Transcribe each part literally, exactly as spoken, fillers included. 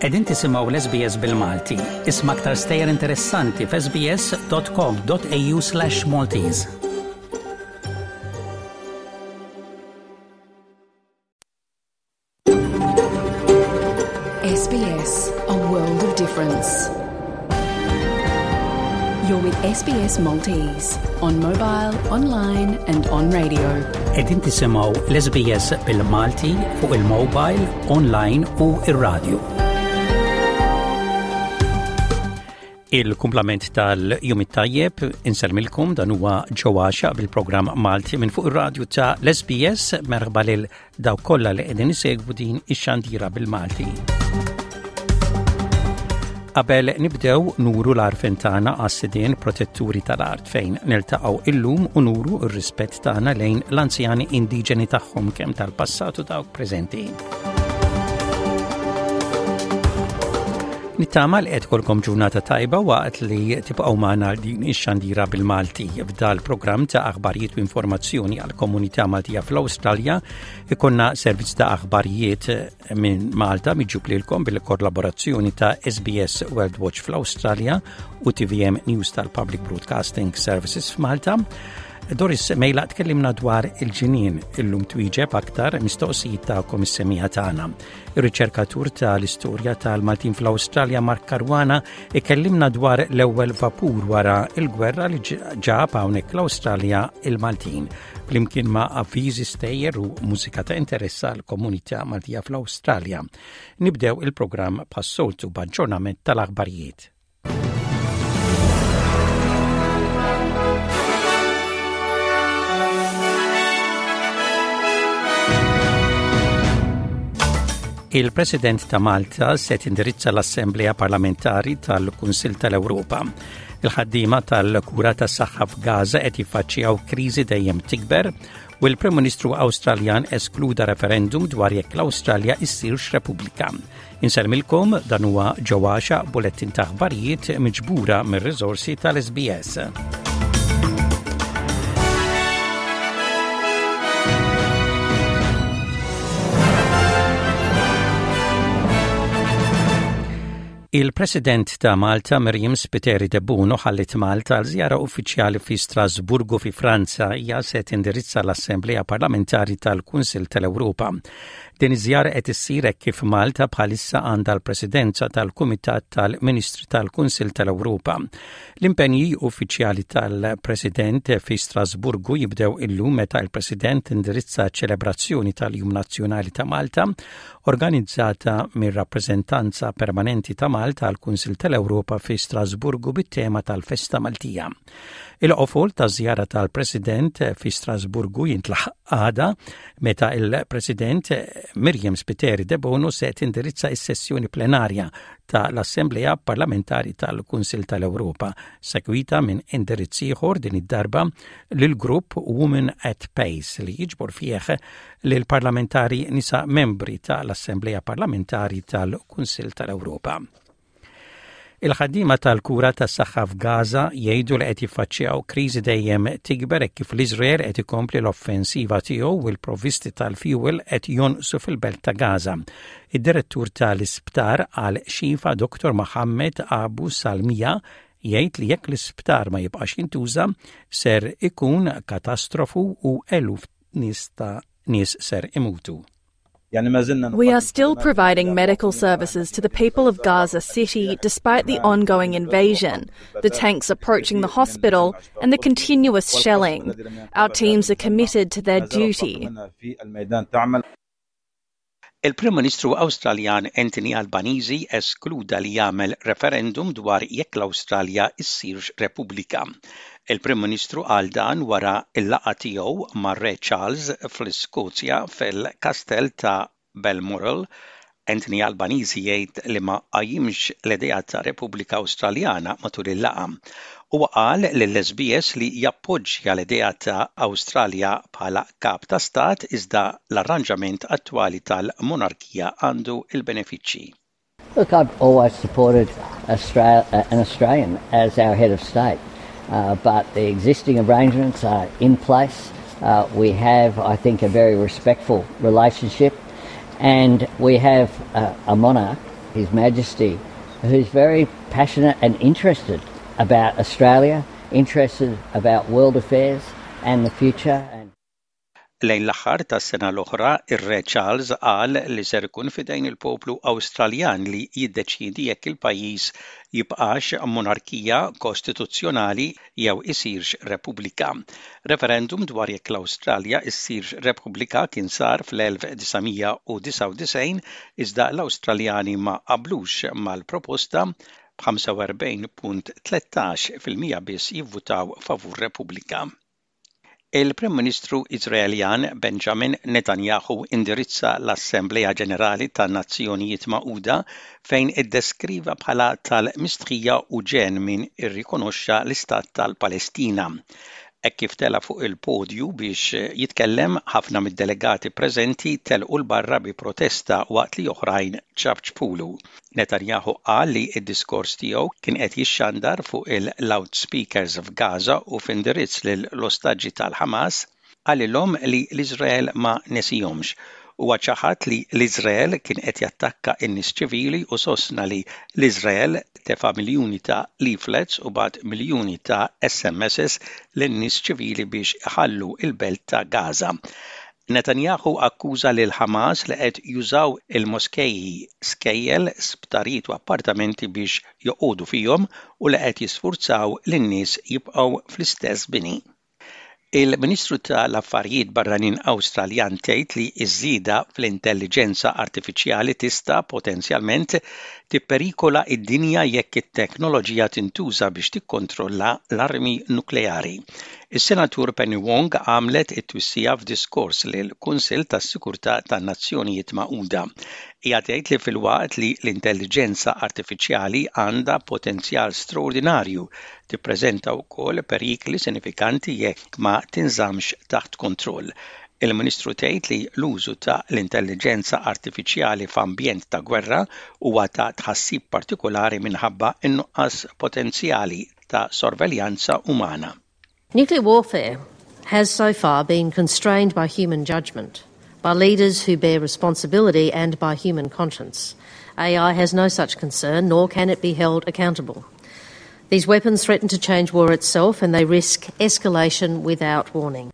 Qegħdin tisimgħu l-SBS bil-Malti. Isma' aktar stejjer interessanti f'sbs.com.au slash Maltese. SBS, a world of difference. You're with SBS Maltese on mobile, online and on radio. Qegħdin tisimgħu l-SBS bil-Malti fuq il-mobile, online u ir-radio. Il-kumplament tal-jum it-tajjeb insellmilkom dan huwa ġewwaxa bil-programm Malti minn fuq ir-radju ta' l-SBS merħba lil dawk kollha li qegħdin isegwu din ix-xandira bil-Malti. Qabel nibdew nuru l-għarfien tagħna għas-sidien protetturi tal-art fejn niltaqgħu illum u nuru r-rispett tagħna lejn l-anzjani indiġeni tagħhom kemm tal-passat u dawk preżenti. Nittama li qed kolkom ġurnata tajba waqt li tibqgħu magħna din ix-xandira bil-Malti. F'dal programm ta' aħbarijiet u informazzjoni għal komunità Maltija fl-Awstralja ikonna servizz ta' aħbarijiet minn Malta miġjub lilkom bil-kollaborazzjoni ta' SBS World Watch fl-Awstralja u TVM News tal-Public Broadcasting Services f'Malta. Doris Mejla tkellimna dwar il-ġinien illum twieġeb aktar mistoqsijiet tagħkom is-semija tagħna. Ir-riċerkatur tal-istorja tal-Maltin fl-Awstralja Mark Caruana ikellimna dwar l-ewwel vapur wara il-gwerra li ġab hawnhekk l-Awstralja il-Maltin. Flimkien ma' avviżi stejjer u mużika ta' interess għall-komunità Maltija fl-Awstralja. Nibdew il-programm bħas-soltu b'aġġornament tal-aħbarijiet. Il-President ta' Malta se tindirizza l-Assemblea Parlamentari tal-Kunsill tal-Ewropa. Il-ħaddiema tal-kura tas-saħħa f'Gaza qed jiffaċċjaw kriżi dejjem tikber u l-Prim Ministru Awstraljan eskluda referendum dwar jekk l-Awstralja issirx Repubblika. Insellmilkom dan huwa ġewwaxa bulettin ta' aħbarijiet miġbura mir-riżorsi tal-SBS. Il-President ta' Malta Miriam Spiteri Debono ħallit Malta għal żjara uffiċjali fi Strasburgu fi Franza hija se tindirizza l-Assemblea Parlamentari tal-Kunsill tal-Ewropa. Din iż-żjara qed issir hekk kif Malta bħalissa għandha l-Presidenza tal-Kumitat tal-Ministri tal-Kunsill tal-Ewropa. L-impenji uffiċjali tal-President fi Strasburgu jibdew illum meta l-President indirizza ċelebrazzjoni tal-Jum Nazzjonali ta' Malta organizzata mir-rappreżentanza permanenti ta' Malta għal Kunsill tal-Ewropa fi Strasburgu bit-tema tal-Festa Maltija. Il-qofol ta' żjara tal-President fi Strasburgu jintlaħaq għada meta il-President Miriam Spiteri Debono se tindirizza is-sessjoni plenarja ta' l-Assemblea Parlamentari tal-Kunsill tal-Ewropa, segwita minn indirizz ieħor din id-darba lil grupp Women at Pace li jiġbor fih lil parlamentari nisa membri tal-Assemblea Parlamentari tal-Kunsill tal-Ewropa. Il-ħaddiema tal-kura tas-saħħa f'Gaza jgħidu li qed jiffaċċjaw kriżi dejjem tikber hekk kif l-Iżrael qed ikompli l-offensiva tiegħu u l-provvisti tal-fuel qed jonqsu fil-belt ta' Gaza. Id-direttur tal-isptar għal Shifa Dr. Mohammed Abu Salmia jgħid li jekk l-isptar ma jibqax jintuża ser ikun katastrofu u eluf nies ta' nies ser imutu. We are still providing medical services to the people of Gaza City despite the ongoing invasion, the tanks approaching the hospital, and the continuous shelling. Our teams are committed to their duty. Il-Prim Ministru Awstraljan Anthony Albanese eskluda li jagħmel referendum dwar jekk l-Awstralja issirx Repubblika. Il-Prim Ministru qal dan wara l-laqgħa tiegħu mar-Re Charles fl-Iskozja fil-Kastell ta' Balmoral. Anthony Albanese jgħid li ma qajjimx l-idea ta' Repubblika Awstraljana matul il-laqgħa. Huwa qal lill-SBS li jappoġġja l-idea ta' Awstralja bħala kap ta' stat iżda l-arranġament attwali tal-monarkija għandu il-benefiċċji. Look, I've always supported Australia, an Australian as our head of state, uh, but the existing arrangements are in place. Uh, we have, I think, a very respectful relationship, and we have a, a monarch His Majesty, who's very passionate and interested about Australia, interested about world affairs and the future. And Lejn l-aħħar tas-sena l-oħra, ir-Re Charles qal li ser ikun fidejn il-poplu Awstraljan li jiddeċiedi jekk il-pajjiż jibqax monarkija kostituzzjonali jew isirx repubblika. Referendum dwar jekk l-Awstralja issirx repubblika kien sar fl-elf disa' mija u disgħa u disgħin, iżda l-Awstraljani ma qablux mal-proposta, b'ħamsa u erbgħin punt tlettax fil-mija biss jivvutaw favur Repubblika. Il-Prim Ministru Iżraeljan Benjamin Netanyahu indirizza l-Assembleja Ġenerali tan-Nazzjonijiet Magħquda, fejn iddeskriva bħala tal-mistħija u ġenn min irrikonoxxa l-Istat tal-Palestina. Hekk kif tela fuq il-podju biex jitkellem, ħafna mid-delegati preżenti telqu 'l barra bi protesta waqt li oħrajn ċapċpulu. Netanyahu qal li d-diskors tiegħu kien qed jixxandar fuq il-loudspeakers f'Gaza, u f'indirizz lill-ostaġġi tal-Hamas qalilhom li l-Iżrael ma nesihomx. Huwa ċaħad li l-Iżrael kien qed jattakka n-nies ċivili u sostna li l-Iżrael tefa' miljuni ta' leaflets u bagħat miljuni ta' S M Ss lin-nies ċivili biex iħallu il-belt ta' Gaza. Netanyahu akkuża lil Hamas li qed jużaw il-moskeji, skejjel, sptarijiet u appartamenti biex joqogħdu fihom u li qed jisfurzaw lin-nies jibqgħu fl-istess bini. Il-Ministru tal-Affarijiet Barranin Awstraljan tgħid li ż-żieda fl-intelligenza artifiċjali tista' potenzjalment tipperikola id-dinja jekk it-teknoloġija tintuża biex tikkontrolla l-armi nukleari. Is-Senatur Penny Wong għamlet it-twissija f'diskors lil Kunsill tas-Sikurtà tan-Nazzjonijiet Magħquda. Hija tgħid li filwaqt li l-intelligenza artifiċjali għandha potenzjal straordinarju, tippreżenta wkoll perikli sinifikanti jekk ma tinżamx taħt kontroll. Il-Ministru tgħid li l-użu ta' l-intelligenza artifiċjali f'ambjent ta' gwerra huwa ta' tħassib partikolari minħabba in-nuqqas potenzjali ta' sorveljanza umana. Nuclear warfare has so far been constrained by human judgment, by leaders who bear responsibility and by human conscience. A I has no such concern, nor can it be held accountable. These weapons threaten to change war itself, and they risk escalation without warning.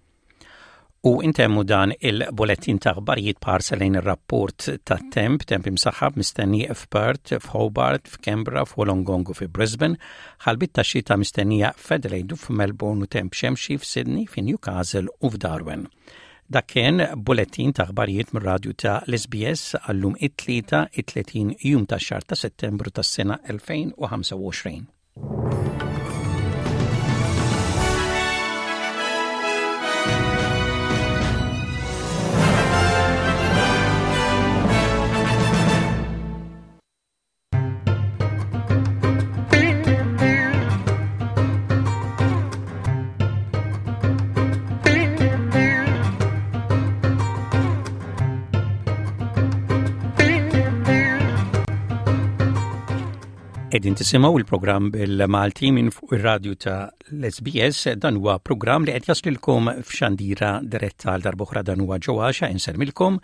U intemmu dan il-bulettin ta' aħbarijiet b'ħarsa lejn ir-rapport ta' temp, temp imsaħħab mistenni f'Perth, f'Hobart, f'Canberra, f'Wollongong u fi Brisbane, ħalbiet ta' xita mistennija f'Adelaide u f'Melbourne u temp xemxi f'Sydney, f'Newcastle u f'Darwin. Dak kien bulettin ta' aħbarijiet mir-radju ta' l-S B S għallum it-tlieta it-tletin jum ta' xahar ta' Settembru tas-sena elfejn u ħamsa u għoxrin. Qegħdin tisimgħu il-programm bil-Malti minn fuq ir-radju ta' l-S B S. Dan huwa programm li qed jaslilkom f'xandira diretta. Għal darb'oħra, dan huwa ġewwaxa insellmilkom,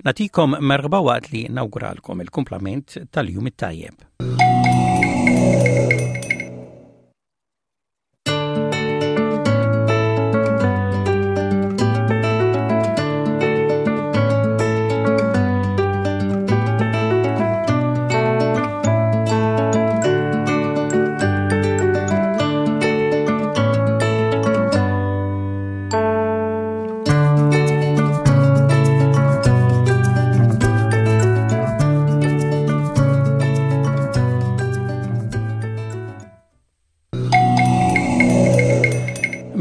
nagħtikom merħba waqt li nawguralkom il-kumplament tal-jum it-tajjeb.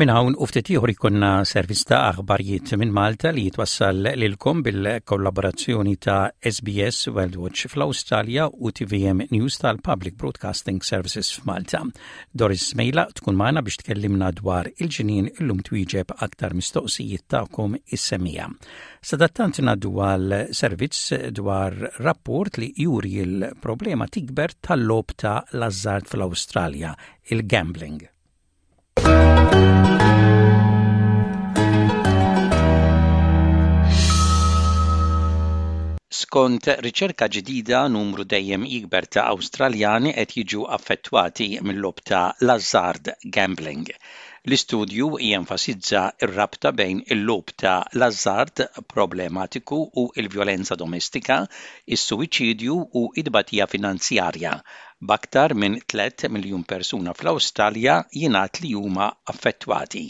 Minn hawn u ftit ieħor ikollna servizz ta' aħbarijiet minn Malta li jitwassal lilkom bil-kollaborazzjoni ta' S B S World Watch fl-Awstralja u T V M News tal-Public Broadcasting Services f'Malta. Doris Mejla tkun magħna biex tkellimna dwar il-ġinien illum, twieġeb aktar mistoqsijiet tagħkom is-semmiegħa. Sadattant ngħaddu għal servizz dwar rapport li juri il-problema tikber tal-logħob ta' l-azzard fl-Awstralja, il-gambling. Skont riċerka ġdida, numru dejjem jikber ta' Awstraljani qed jiġu affettwati mill-logħob ta' l-azzard, gambling. L-istudju jenfasizza r-rabta bejn il-logħob ta' l-azzard problematiku u l-vjolenza domestika, is-suwiċidju u id-batija finanzjarja. B'aktar minn tliet miljun persuna fl-Awstralja jingħad li huma affettwati.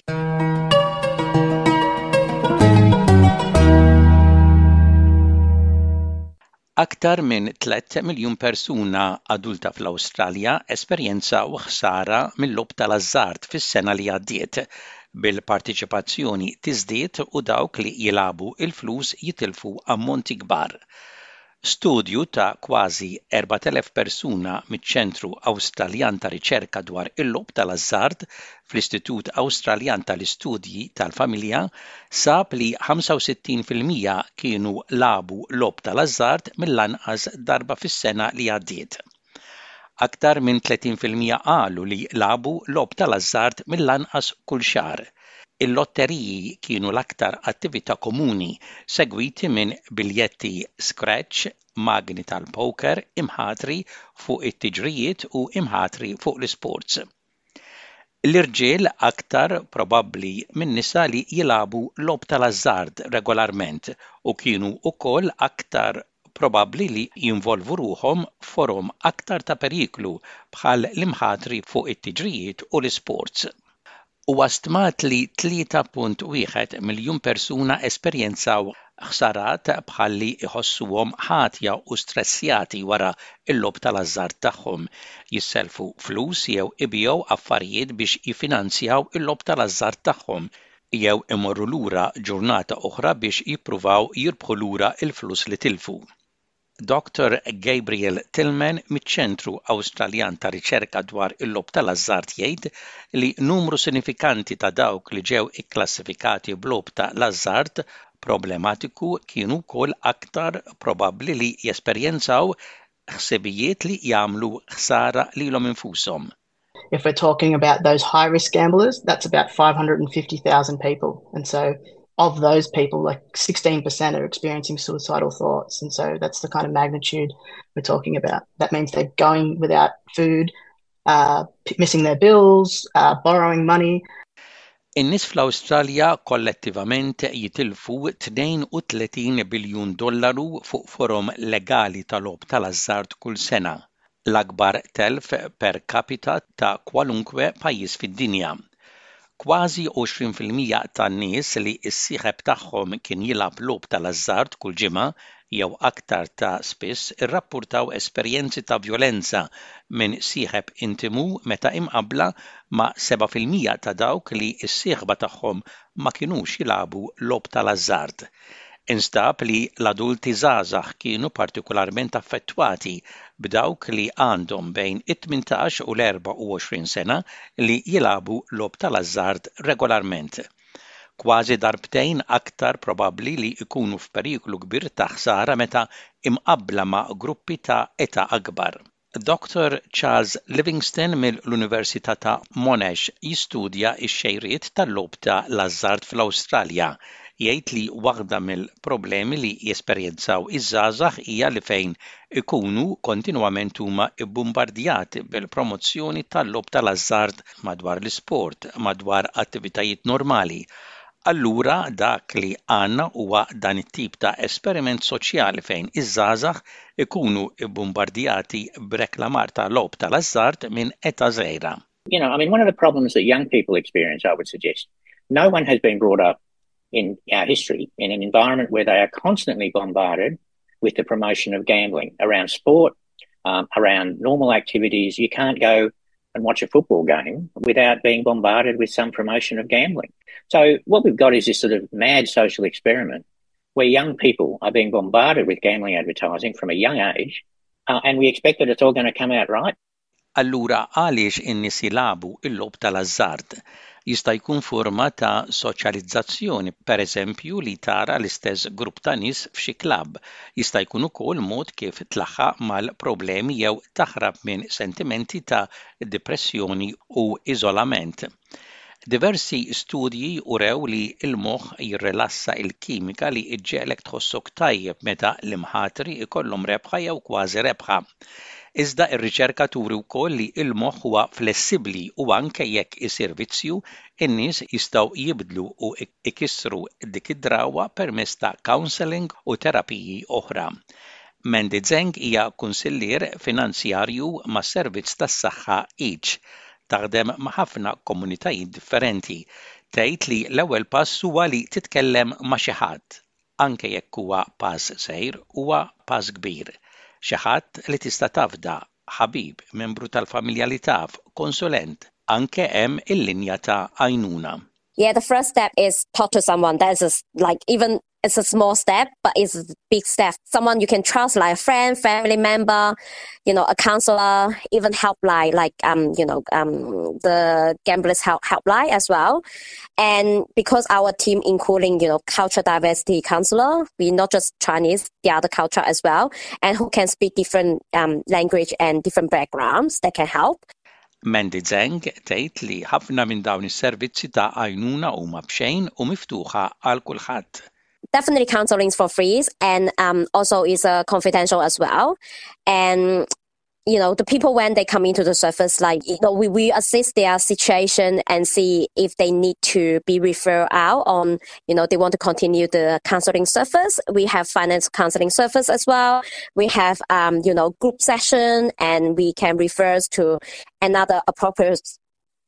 Aktar minn tliet miljun persuna adulta fl-Awstralja esperjenzaw ħsara mill-logħob tal-azzard fis-sena li għaddiet, bil-partiċipazzjoni tiżdied u dawk li jilagħbu il-flus jitilfu ammonti kbar. Studju ta' kważi erbat elef persuna miċ-Ċentru Awstraljan ta' Riċerka dwar il-logħob tal-azzard fl-Istitut Awstraljan tal-Istudji tal-Familja sab li ħamsa u sittin fil-mija kienu lagħbu logħob tal-azzard mill-anqas darba fis-sena li għaddiet. Aktar minn tletin fil-mija qalu li lagħbu logħob tal-azzard mill-anqas kull xahar. Il-lotteriji kienu l-aktar attività komuni, segwiti minn biljetti scratch, magni tal-poker, imħatri fuq it-tiġrijiet u imħatri fuq l-sports. L-irġiel aktar probabbli minn nisa li jilagħbu logħob tal-azzard regolarment u kienu wkoll aktar probabbli li jinvolvu ruħhom forom aktar ta' periklu bħal l-imħatri fuq it-tiġrijiet u l-sports. Huwa stmat li tlieta punt wieħed miljun persuna esperjenzaw ħsarat bħal li iħossuhom ħatja u stressjati wara l-logħob tal-azzard tagħhom, jisselfu flus jew ibigħu affarijiet biex jiffinanzjaw il-logħob tal-azzard tagħhom, jew imorru lura ġurnata oħra biex jippruvaw jirbħu lura il-flus li tilfu. Doctor Gabriel Tillman miċ-Ċentru Awstraljan ta' Riċerka dwar il-logħob tal-azzard jgħid li numru sinifikanti ta' dawk li ġew ikklassifikati b'logħob ta' l-azzard problematiku kienu wkoll aktar probabbli li jesperjenzaw ħsibijiet li jagħmlu ħsara lilhom infushom. If we're talking about those high risk gamblers, that's about five hundred fifty thousand people. And so of those people, like sixteen percent are experiencing suicidal thoughts. And so that's the kind of magnitude we're talking about. That means they're going without food, uh, missing their bills, uh, borrowing money. In-nies fl-Awstralja kollettivament jitilfu tnejn u tletin biljun dollaru fuq forom legali tal-logħob tal-azzard kull sena, l-akbar telf per capita ta' kwalunkwe pajjiż fid-dinja. Kważi għoxrin fil-mija tan-nies li s-sieħeb tagħhom kien jilgħab logħob tal-azzard kull ġimgħa jew aktar ta' spiss irrappurtaw esperjenzi ta' vjolenza minn sieħeb intimu meta imqabbla ma' seba' fil-mija ta' dawk li s-sieħba tagħhom ma kinux jilagħbu logħob tal-azzard. Instab li l-adulti żgħażagħ kienu partikolarment affettwati, b'dawk li għandhom bejn it-tmintax u l-erbgħa u għoxrin sena li jilagħbu logħob tal-azzard regolarment kważi darbtejn aktar probabbli li jkunu f'periklu kbir ta' ħsara meta imqabbla ma' gruppi ta' età akbar. Doctor Charles Livingston mill-Università ta' Monash jistudja x-xejriet tal-logħob ta' l-azzard fl-Awstralja. Jgħid li waħda mill-problemi li jesperjenzaw iż-żgħażagħ hija li fejn ikunu kontinwament huma bbumbardjati bil-promozzjoni tal-logħob tal-azzard madwar l-isport, madwar attivitajiet normali. Allura dak li għandna huwa dan it-tip ta' esperiment soċjali fejn iż-żgħażagħ ikunu bbumbardjati b'reklamar ta' logħob tal-azzard minn età żgħira. You know, I mean, one of the problems that young people experience, I would suggest, no one has been brought up in our history in an environment where they are constantly bombarded with the promotion of gambling around sport, um, around normal activities. You can't go and watch a football game without being bombarded with some promotion of gambling. So what we've got is this sort of mad social experiment where young people are being bombarded with gambling advertising from a young age, uh, and we expect that it's all going to come out right. Allura għaliex in-nies jilagħbu il-logħob tal-azzard? Jista' jkun forma ta' soċjalizzazzjoni, pereżempju li tara l-istess grupp ta' nies f'xi klabb. Jista' jkun ukoll mod kif tlaħħaq mal-problemi jew taħrab minn sentimenti ta' depressjoni u iżolament. Diversi studji urew li l-moħħ jirrilassa il-kimika li iġġegħlek tħossok tajjeb meta l-imħatri ikollhom rebħa jew kważi rebħa. Iżda ir-riċerka turi wkoll li l-moħħ huwa flessibbli u anke jekk isir vizzju, in-nies jistgħu jibdlu u ikissru dik id-drawa permezz ta' counselling u terapiji oħra. Mandy Zeng hija kunsillier finanzjarju mas-servizz tas-saħħa Each. Taħdem ma' ħafna komunitajiet differenti. Tgħid li l-ewwel pass huwa li titkellem ma' xi ħadd, anke jekk huwa pass żgħir huwa pass kbir. Xi ħadd li tista' tafda, ħabib, membru tal-familja li taf, konsulent, anke hemm il-linja ta' għajnuna. Yeah, the first step is talk to someone. That is like even it's a small step, but it's a big step. Someone you can trust, like a friend, family member, you know, a counselor, even helpline, like, um, you know, um, the gamblers help helpline as well. And because our team including, you know, culture diversity counselor, we not just Chinese, the other culture as well, and who can speak different um, language and different backgrounds that can help. Mandy Zeng tgħid li ħafna minn dawn is-servizzi ta' għajnuna huma b'xejn u miftuħa għal kulħadd. Definitely counseling is for free and um, also is uh, confidential as well. And you know, the people when they come into the service, like, you know, we, we assess their situation and see if they need to be referred out on, you know, they want to continue the counseling service. We have finance counseling service as well. We have, um, you know, group session, and we can refer to another appropriate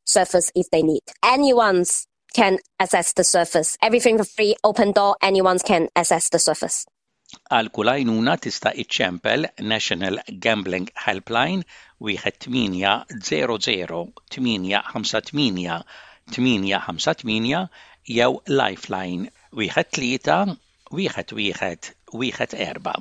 service if they need. Anyone's can access the service. Everything for free, open door, anyone can access the service. Għal kull għajnuna tista' iċċempel National Gambling Helpline wieħed tmienja zero zero tmienja ħamsa tmienja tmienja ħamsa tmienja jew Lifeline wieħed tlieta wieħed wieħed wieħed erba'.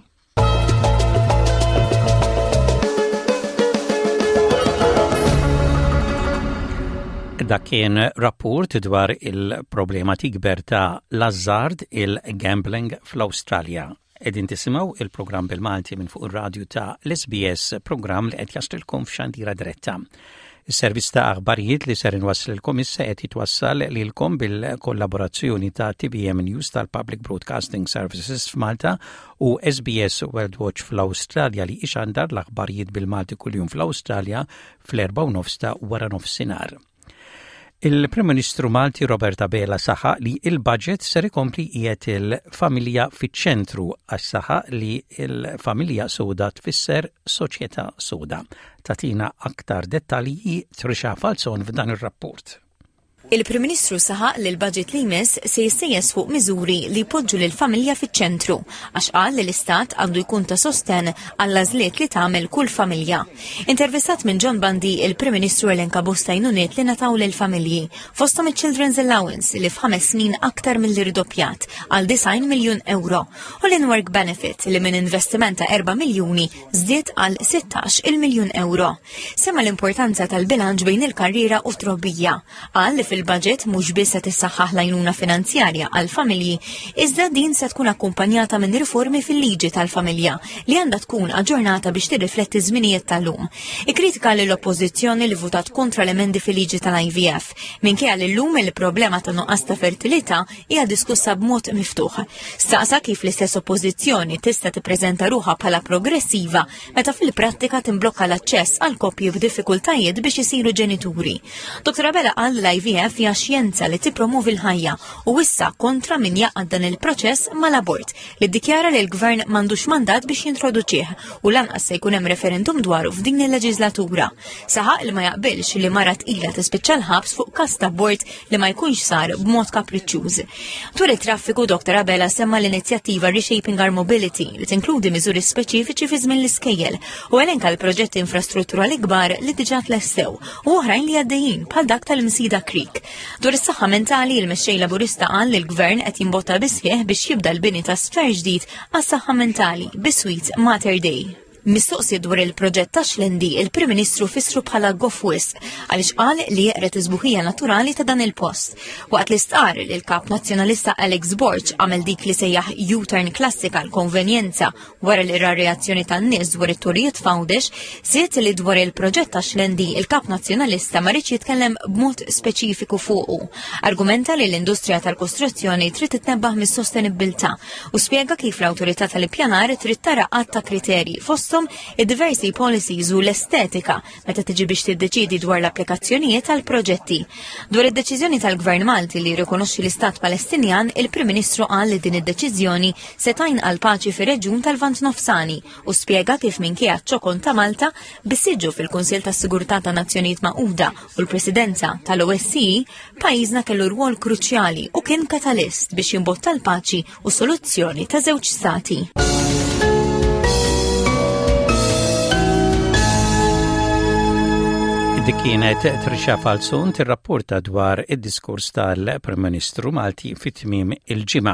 Dak kien rapport dwar il-problema tikber ta' l-azzard il-gambling fl-Awstralja. Qegħdin tisimgħu il-programm bil-Malti minn fuq ir-radju ta' l-S B S, programm li qed jaslilkom f'xandira diretta. Is-servizz ta' aħbarijiet li ser inwasslilkom issa qed jitwassal lilkom bil-kollaborazzjoni ta' T V M News tal-Public Broadcasting Services f'Malta u S B S World Watch fl-Awstralja li ixandar l-aħbarijiet bil-Malti kuljum fl-Awstralja fl-erba' u nofs ta' wara nofsinhar. Il-Prim Ministru Malti Robert Abela saħaq li il-budget ser ikompli qiegħed il-familja fiċ-ċentru għax saħaq li il-familja soda tfisser soċjetà soda. Tatina aktar dettalji Trisha Falzon f'dan ir-rapport. Il-Prim Ministru saħaq li l-budget li jmiss se jissejjes fuq miżuri li jpoġġu lill-familja fiċ-ċentru għax qal li l-istat għandu jkun ta' sosten għall-għażliet li tagħmel kull familja. Intervistat minn John Bundy, il-Prim Ministru elenka bosta għajnuniet li nataw lill-familji, fosthom iċ-Children's Allowance li f'ħames snin aktar milli rdoppjat għal disgħin miljun euro u l-in-work benefit li minn investiment ta' erba' miljuni żdied għal sittax il-miljun euro. Semma l-importanza tal-bilanċ bejn il-karriera u t-trobbija. Qal li fil Il-budget mhux biss se tissaħħaħ l-għajnuna finanzjarja għal familji, iżda din se tkun akkumpanjata minn riformi fil-liġi tal-familja li għandha tkun aġġornata biex tirrifletti żminijiet tal-lum. Ikkritika lill-oppożizzjoni li votat kontra l-emendi fil-liġi tal-I V F, minkejja li llum il-problema ta' nuqqas ta' fertilità hija diskussa b'mod miftuħ. Staqsa kif l-istess oppożizzjoni tista' tippreżenta ruħha bħala progressiva meta fil-prattika timblokka l-aċċess għal koppji b'diffikultajiet biex isiru ġenituri. Dottor Abela qal l-I V F hija xjenza li tippromovi l-ħajja u issa kontra min jaqgħad dan il-proċess mal-abort li ddikjara li l-gvern m'għandux mandat biex jintroduċih u lanqas se jkun hemm referendum dwaru f'din il-leġislatura. Saħaq li ma jaqbilx li mara tqila tispiċċa l-ħabs fuq każ ta' abort li ma jkunx sar b'mod kapriċċjuż. Dwar it-traffiku, Dottor Abela semma l-inizjattiva Reshaping Our Mobility li tinkludi miżuri speċifiċi fi żmien l-iskejjel u elenka l-proġetti infrastrutturali kbar li diġà tlestew u oħrajn li għaddejjin bħal dak tal-Msida Creek. Dwar is-saħħa mentali, il-mexxej Laburista qal li l-gvern qed jimbotta bisħieħ biex jibda l-bini ta' sptar ġdid għas-saħħa mentali biswit Mater Dei. Mistoqsi dwar il-proġett ta' Xlendi, il-Prim Ministru fissru bħala goff wisq għaliex qal li jeqred is-sbuħija naturali ta' dan il-post. Waqt li stqar li l-kap nazzjonalista Alex Borg għamel dik li sejjaħ U-turn klassika l-konvenjenza wara li ra reazzjoni tan-nies dwar it-turijiet f'Għawdex, żied li dwar il-proġett ta' Xlendi il-kap nazzjonalista ma riedx jitkellem b'mod speċifiku fuqu. Argumenta li l-industrija tal-kostruzzjoni trid titnebbaħ mis-sostenibbiltà u spjega kif l-awtorità tal-ippjanar trid tara għadd ta' kriterji fosthom id-diversi policies u l-estetika meta tiġi biex tiddeċidi dwar l-applikazzjonijiet tal proġetti. Dwar id-deċiżjoni tal-Gvern Malti li jirrikonoxxi l-Istat Palestinjan, il-Prim Ministru qal li din id-deċiżjoni se tgħin għal paċi fir-reġjun tal-Lvant Nofsani u spjega kif minkejja ċ-ċokon ta' Malta bis-siġġu fil-Kunsill tas-Sigurtà ta' Nazzjonijiet Magħquda u l-Presidenza tal-O S C E, pajjiżna kellu rwol kruċjali u kien katalist biex jimbotta l-paċi u soluzzjoni ta' żewġ stati. Dik kienet Trisha Falzon tirrapporta dwar id-diskors tal-Prim Ministru Malti fit-tmiem il-ġimgħa.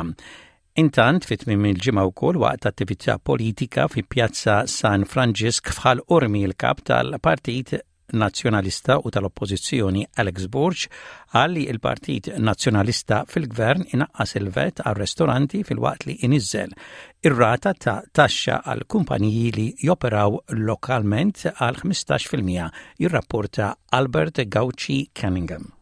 Intant fit-tmiem il-ġimgħa wkoll, waqt attività politika fi Pjazza San Franġisk f'Ħal Qormi, il-kap tal-Partit Nazzjonalista u tal-Oppożizzjoni Alex Borg qal li il-Partit Nazzjonalista fil-Gvern inaqqas il-VAT għal ristoranti filwaqt li iniżżel ir-rata ta' taxxa għal kumpaniji li joperaw lokalment għal ħmistax fil-mija, jirrapporta Albert Gauci Cunningham.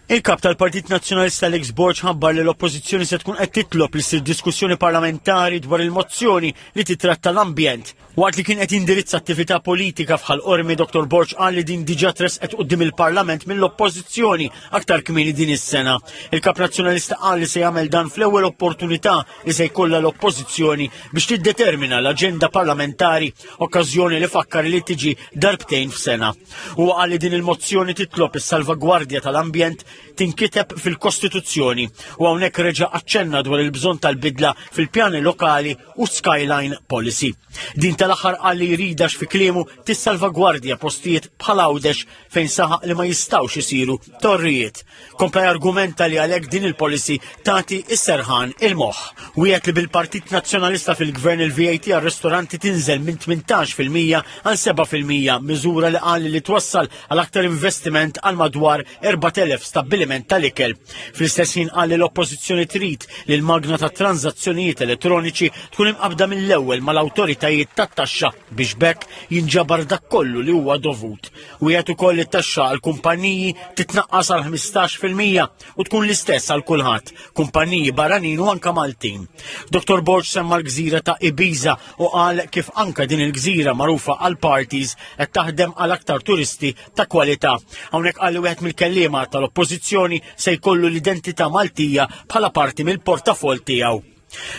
Il-kap tal-Partit Nazzjonalista Alex Borg ħabbar li l-Oppożizzjoni se tkun qed titlob li ssir diskussjoni parlamentari dwar il-mozzjoni li titratta l-ambjent. Waqt li kien qed jindirizza attività politika f'Ħal Qormi, Dottor Borg qal li din diġà tresqet quddiem il-Parlament mill-Oppożizzjoni aktar kmieni din is-sena. Il-kap Nazzjonalista qal li se jagħmel dan fl-ewwel opportunità li se jkollha l-Oppożizzjoni biex tiddetermina l-aġenda parlamentari, okkażjoni li fakkar li tiġi darbtejn f'sena. Huwa qal li din il-mozzjoni titlob is-salvagwardja tal-ambjent tinkiteb fil-Kostituzzjoni u hawnhekk reġa' aċċenna dwar il-bżonn tal-bidla fil-pjani lokali u Skyline Policy. Din tal-aħħar qal li jridha fi kliemu tissalvagwardja postijiet bħal Għawdex fejn saħaq li ma jistgħux isiru torrijiet. Kompla argumenta li għalhekk din il-policy tagħti is-serħan il-moħħ. Wiegħed li bil-Partit Nazzjonalista fil-Gvern il-V A T għal-ristoranti tinżel minn tmintax fil-mija għal seba' fil-mija, miżura li qal li twassal għal aktar investiment għal madwar erbat elef stabbiliment tal-ikel. Fl-istess ħin qal li l-Oppożizzjoni trid li l-magna ta' tranzazzjonijiet elettroniċi tkun imqabda mill-ewwel mal-awtoritajiet tat-taxxa biex b'hekk jinġabar dak kollu li huwa dovut. Wiegħed ukoll li t-taxxa għal kumpaniji titnaqqas għal ħmistax fil-mija u tkun l-istess għal kulħadd, kumpaniji barranin u anka Maltin. Dottor Borg semma l-gżira ta' Ibiza u qal kif anka din il-gżira magħrufa għal parties qed taħdem għal aktar turisti ta' kwalità. Hawnhekk qal li wieħed mill-kelliema tal-Oppożizzjoni se jkollu l-identità Maltija bħala parti mill-portafol tiegħu.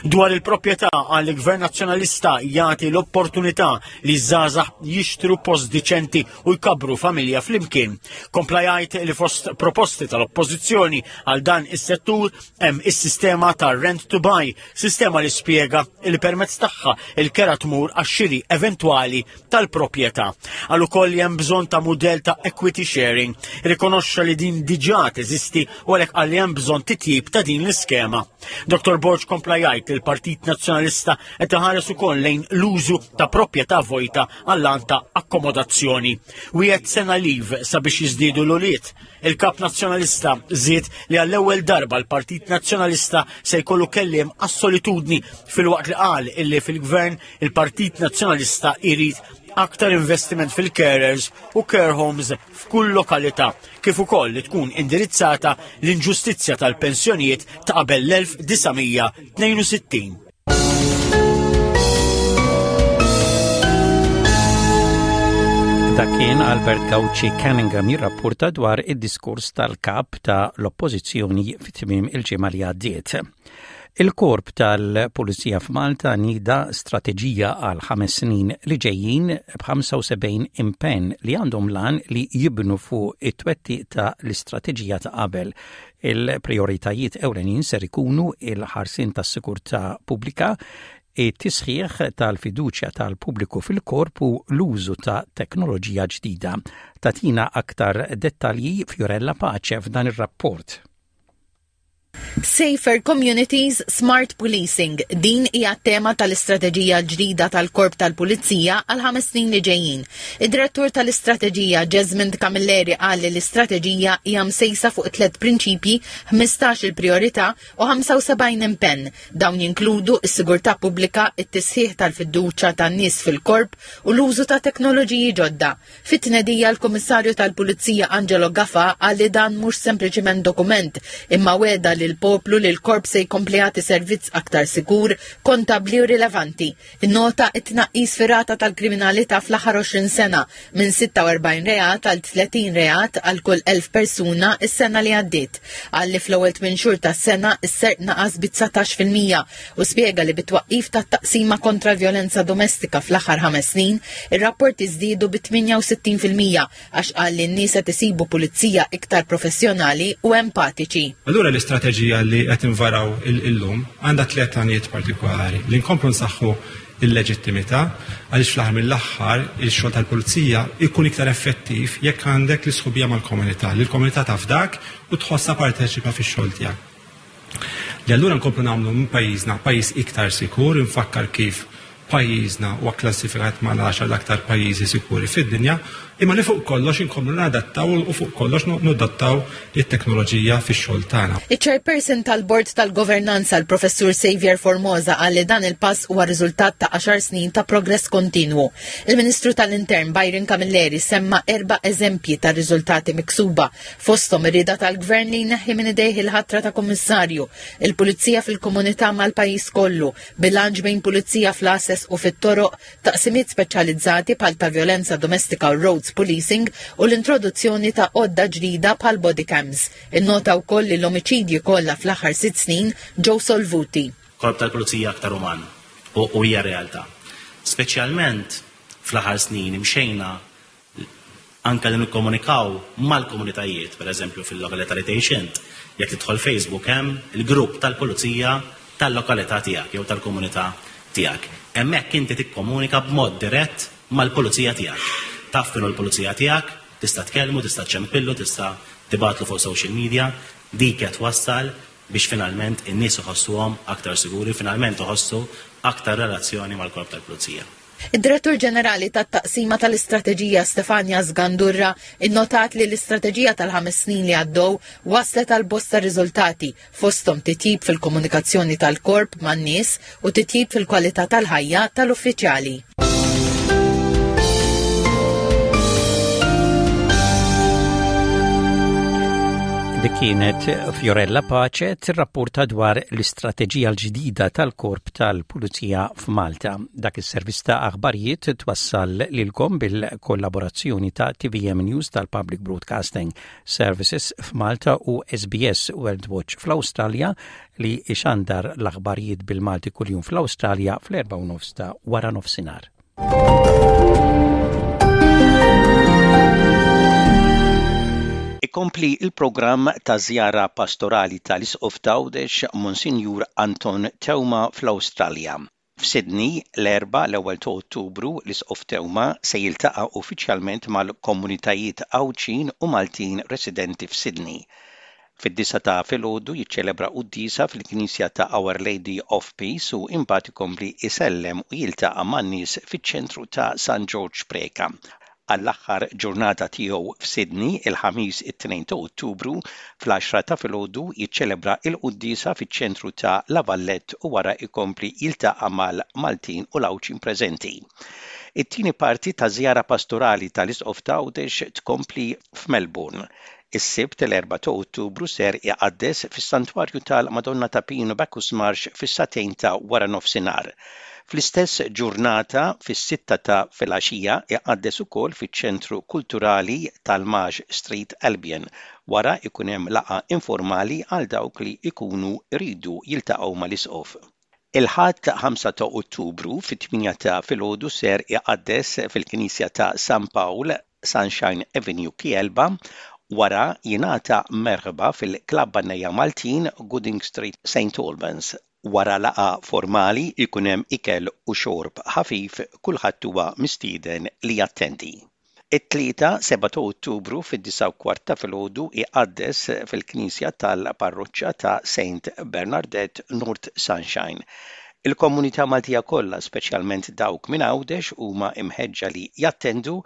Dwar il-proprjetà għal gvern Nazzjonalista jagħti l-opportunità li żgħażagħ jixtru post diċenti u jkabru familja flimkien. Kompla jgħid li fost proposti tal-Oppożizzjoni għal dan is-settur hemm is-sistema ta' rent to buy, sistema li spjega li permezz tagħha il-kera tmur għax-xiri eventwali tal-proprjetà. Qal ukoll li hemm bżonn ta' mudell ta' equity sharing. Rikonoxxa li din diġà teżisti u għalhekk qal li hemm bżonn titjib ta' din l-iskema. Dottor Borg kompla jgħid li l-Partit Nazzjonalista qed iħares ukoll lejn l-użu ta' proprjetà vojta għall ta' akkomodazzjoni. Wiegħed sena leave sabiex jiżdiedu l-ulied. Il-kap Nazzjonalista żied li għall-ewwel darba l-Partit Nazzjonalista se jkollu kelliem għas-solitudni, filwaqt li qal illi fil-gvern il-Partit Nazzjonalista irid aktar investiment fil-carers u care homes f'kull lokalità, kif ukoll li tkun indirizzata l-inġustizzja tal-pensjonijiet ta' qabel l-elf disa' mija tnejn u sittin. Dak kien Albert Gauci Cunningham jirrapporta dwar id-diskors tal-kap ta' l-Oppożizzjoni fit-tmiem il-ġimgħa li għaddiet. Il-korp tal-Pulizija f'Malta nieda strateġija għal ħames snin li ġejjin b'ħamsa u sebgħin impenn li għandhom l-għan li jibnu fuq it-twettiq ta' l-istrateġija ta' qabel. Il-prioritajiet ewlenin ser ikunu il-ħarsien tas-sigurtà pubblika, it-tisħiħ tal-fiduċja tal-pubbliku fil-korp u l-użu ta' teknoloġija ġdida. Tagħtina aktar dettalji Fiorella Pace f'dan ir-rapport. Safer Communities, Smart Policing. Din hija tema tal-istrateġija ġdida tal-Korp tal-Pulizija għal ħames snin li ġejjin. Id-direttur tal-istrateġija Jesmond Camilleri qal li l-istrateġija hija msejsa fuq tliet prinċipji, ħmistax il-priorità u ħamsa u sebgħin impenn. Dawn jinkludu s-sigurtà pubblika, it-tisħiħ tal-fiduċja tan-nies fil-korp u l-użu ta' teknoloġiji ġodda. Fit-tnedija l-Kummissarju tal-Pulizija Angelo Gafà qal li dan mhux sempliċiment dokument, imma weda lil poplu li l-korp se jkompli jagħti servizz aktar sikur, kontabbli u rilevanti. Innota it-tnaqqis fir-rata tal-kriminalità fl-aħħar għoxrin sena minn sitta u erbgħin reat għal tletin reat għal kull elf persuna s-sena li għaddiet. Qal li fl-ewwel tmien xhur tas-sena s-serq naqas bi dsatax fil-mija u spjega li bit-twaqqif tat-taqsima kontra l-vjolenza domestika fl-aħħar ħames snin, ir-rapporti żdiedu bi tmienja u sittin fil-mija għax qal li n-nies qed isibu pulizija iktar professjonali u empatiċi. Allura l-istrateġija li qed invaraw illum għandha tliet għanijiet partikolari li nkomplu nsaħħu il-leġittimità għaliex fl-aħħar mill-aħħar il-xogħol tal-pulizija jkun iktar effettiv jekk għandek l-isħubija mal-komunità, li l-komunità tafdak u tħossha parteċipa fix-xogħol tiegħek. Li allura nkomplu nagħmlu minn pajjiżna pajjiż iktar sikur, infakkar kif pajjiżna huwa klassifikat mal-għaxar l-aktar pajjiżi sikuri fid-dinja, imma li fuq kollox inkomplu nadattaw u fuq kollox nadattaw it-teknoloġija fix-xogħol tagħna. Iċ-chairperson tal-Bord tal-Governanza l-Professur Xavier Formosa qal li dan il-pass huwa riżultat ta' għaxar snin ta' progress kontinwu. Il-Ministru tal-Intern Byron Camilleri semma erba' eżempji ta' riżultati miksuba, fosthom ir-rieda tal-Gvern li jneħħi minn idejh il-ħatra ta' kummissarju, il-Pulizija fil-komunità mal-pajjiż kollu, bilanċ bejn pulizija fl-għases u fit-toroq, taqsimiet speċjalizzati bħal ta' violenza domestika u roads policing u l-introduzzjoni ta' għodda ġdida bħal body cams. Innota wkoll li l-omiċidji kollha fl-aħħar sitt snin ġew solvuti. Korp tal-Pulizija aktar uman u, u hija realtà. Speċjalment fl-aħħar snin imxejna anke li nikkomunikaw mal-komunitajiet, per eżempju fil-lokalità li tgħix int, jekk tidħol Facebook hemm il-grupp tal-Pulizija tal-lokalità tiegħek jew tal-komunità tiegħek. Hemmhekk inti tikkomunika b'mod dirett mal-pulizija tiegħek. Taf kienu l-pulizija tiegħek, tista' tkellmu, tista' ċempillu, tista' tibgħatlu fuq social media, dik qed twassal biex finalment in-nies iħossuhom aktar siguri, finalment iħossu aktar relazzjoni mal-korp tal-pulizija. Id-Direttur Ġenerali tat-Taqsima tal-Istrateġija Stefania Sgandurra innotat li l-istrateġija tal-ħames snin li għaddew waslet għal bosta riżultati, fosthom titjib fil-komunikazzjoni tal-korp man-nies u titjib fil-kwalità tal-ħajja tal-uffiċjali. Dik kienet Fiorella Pace tirrapporta dwar l-istrateġija l-ġdida tal-Korp tal-Pulizija f'Malta. Dak is-servizz ta' aħbarijiet twassal lilkom bil-kollaborazzjoni ta' T V M News tal-Public Broadcasting Services f'Malta u S B S World Watch fl-Awstralja li ixandar l-aħbarijiet bil-Malti kuljum fl-Awstralja fl-erba' u nofs ta' wara nofsinhar. Ikompli il-programm ta' żjara pastorali tal-Isqof t'Għawdex Monsinjur Anton Teuma fl-Awstralja. F'Sydney, l-Erbgħa l-ewwel ta' Ottubru, l-Isqof Teuma se jiltaqa' uffiċjalment mal-komunitajiet Għawdxin u Maltin residenti f'Sydney. Fid-disa ta' filgħodu jiċċelebra quddiesa fil-Knisja ta' Our Lady of Peace u imbagħad ikompli isellem u jiltaqa' man-nies fiċ-ċentru ta' San George Preca. Għall-aħħar ġurnata tiegħu f'Sydney, il-Ħamis it-tnejn ta' Ottubru, fl-għaxra ta' filgħodu jiċċelebra l-quddiesa fiċ-ċentru ta' La Vallette u wara jkompli jiltaqa' mal-Maltin u l-Għawdxin preżenti. It-tieni parti ta' żjara pastorali tal-Isqof ta' Għawdex tkompli f'Melbourne. Is-Sibt l-erba' ta' Ottubru ser iqaddes fis-Santwarju tal-Madonna ta' Pinu Bacchus Marsh fis-sagħtejn ta' wara nofsinhar. Fl-istess ġurnata fis-sitta ta' filgħaxija iqaddes ukoll fiċ-Ċentru Kulturali tal-Marsh Street Albion. Wara ikun hemm laqgħa informali għal dawk li ikunu jridu jiltaqgħu mal-Isqof. Il-Ħadd ħamsa ta' Ottubru fit-tmienja ta' filgħodu ser iqaddes fil-Knisja ta' San Pawl, Sunshine Avenue, Kielba, wara jingħata merħba fil-Klabb Bannejja Maltin, Gooding Street, Saint Albans. Wara laqgħa formali ikun hemm ikel u xorb ħafif, kulħadd huwa mistieden li jattendi. It-Tlieta, seba' ta' Ottubru fid-disgħa u kwart ta' filgħodu iqaddes fil-Knisja tal-Parroċċa ta' Saint Bernardette, North Sunshine. Il-komunità Maltija kollha, speċjalment dawk minn Għawdex, huma imħeġġa li jattendu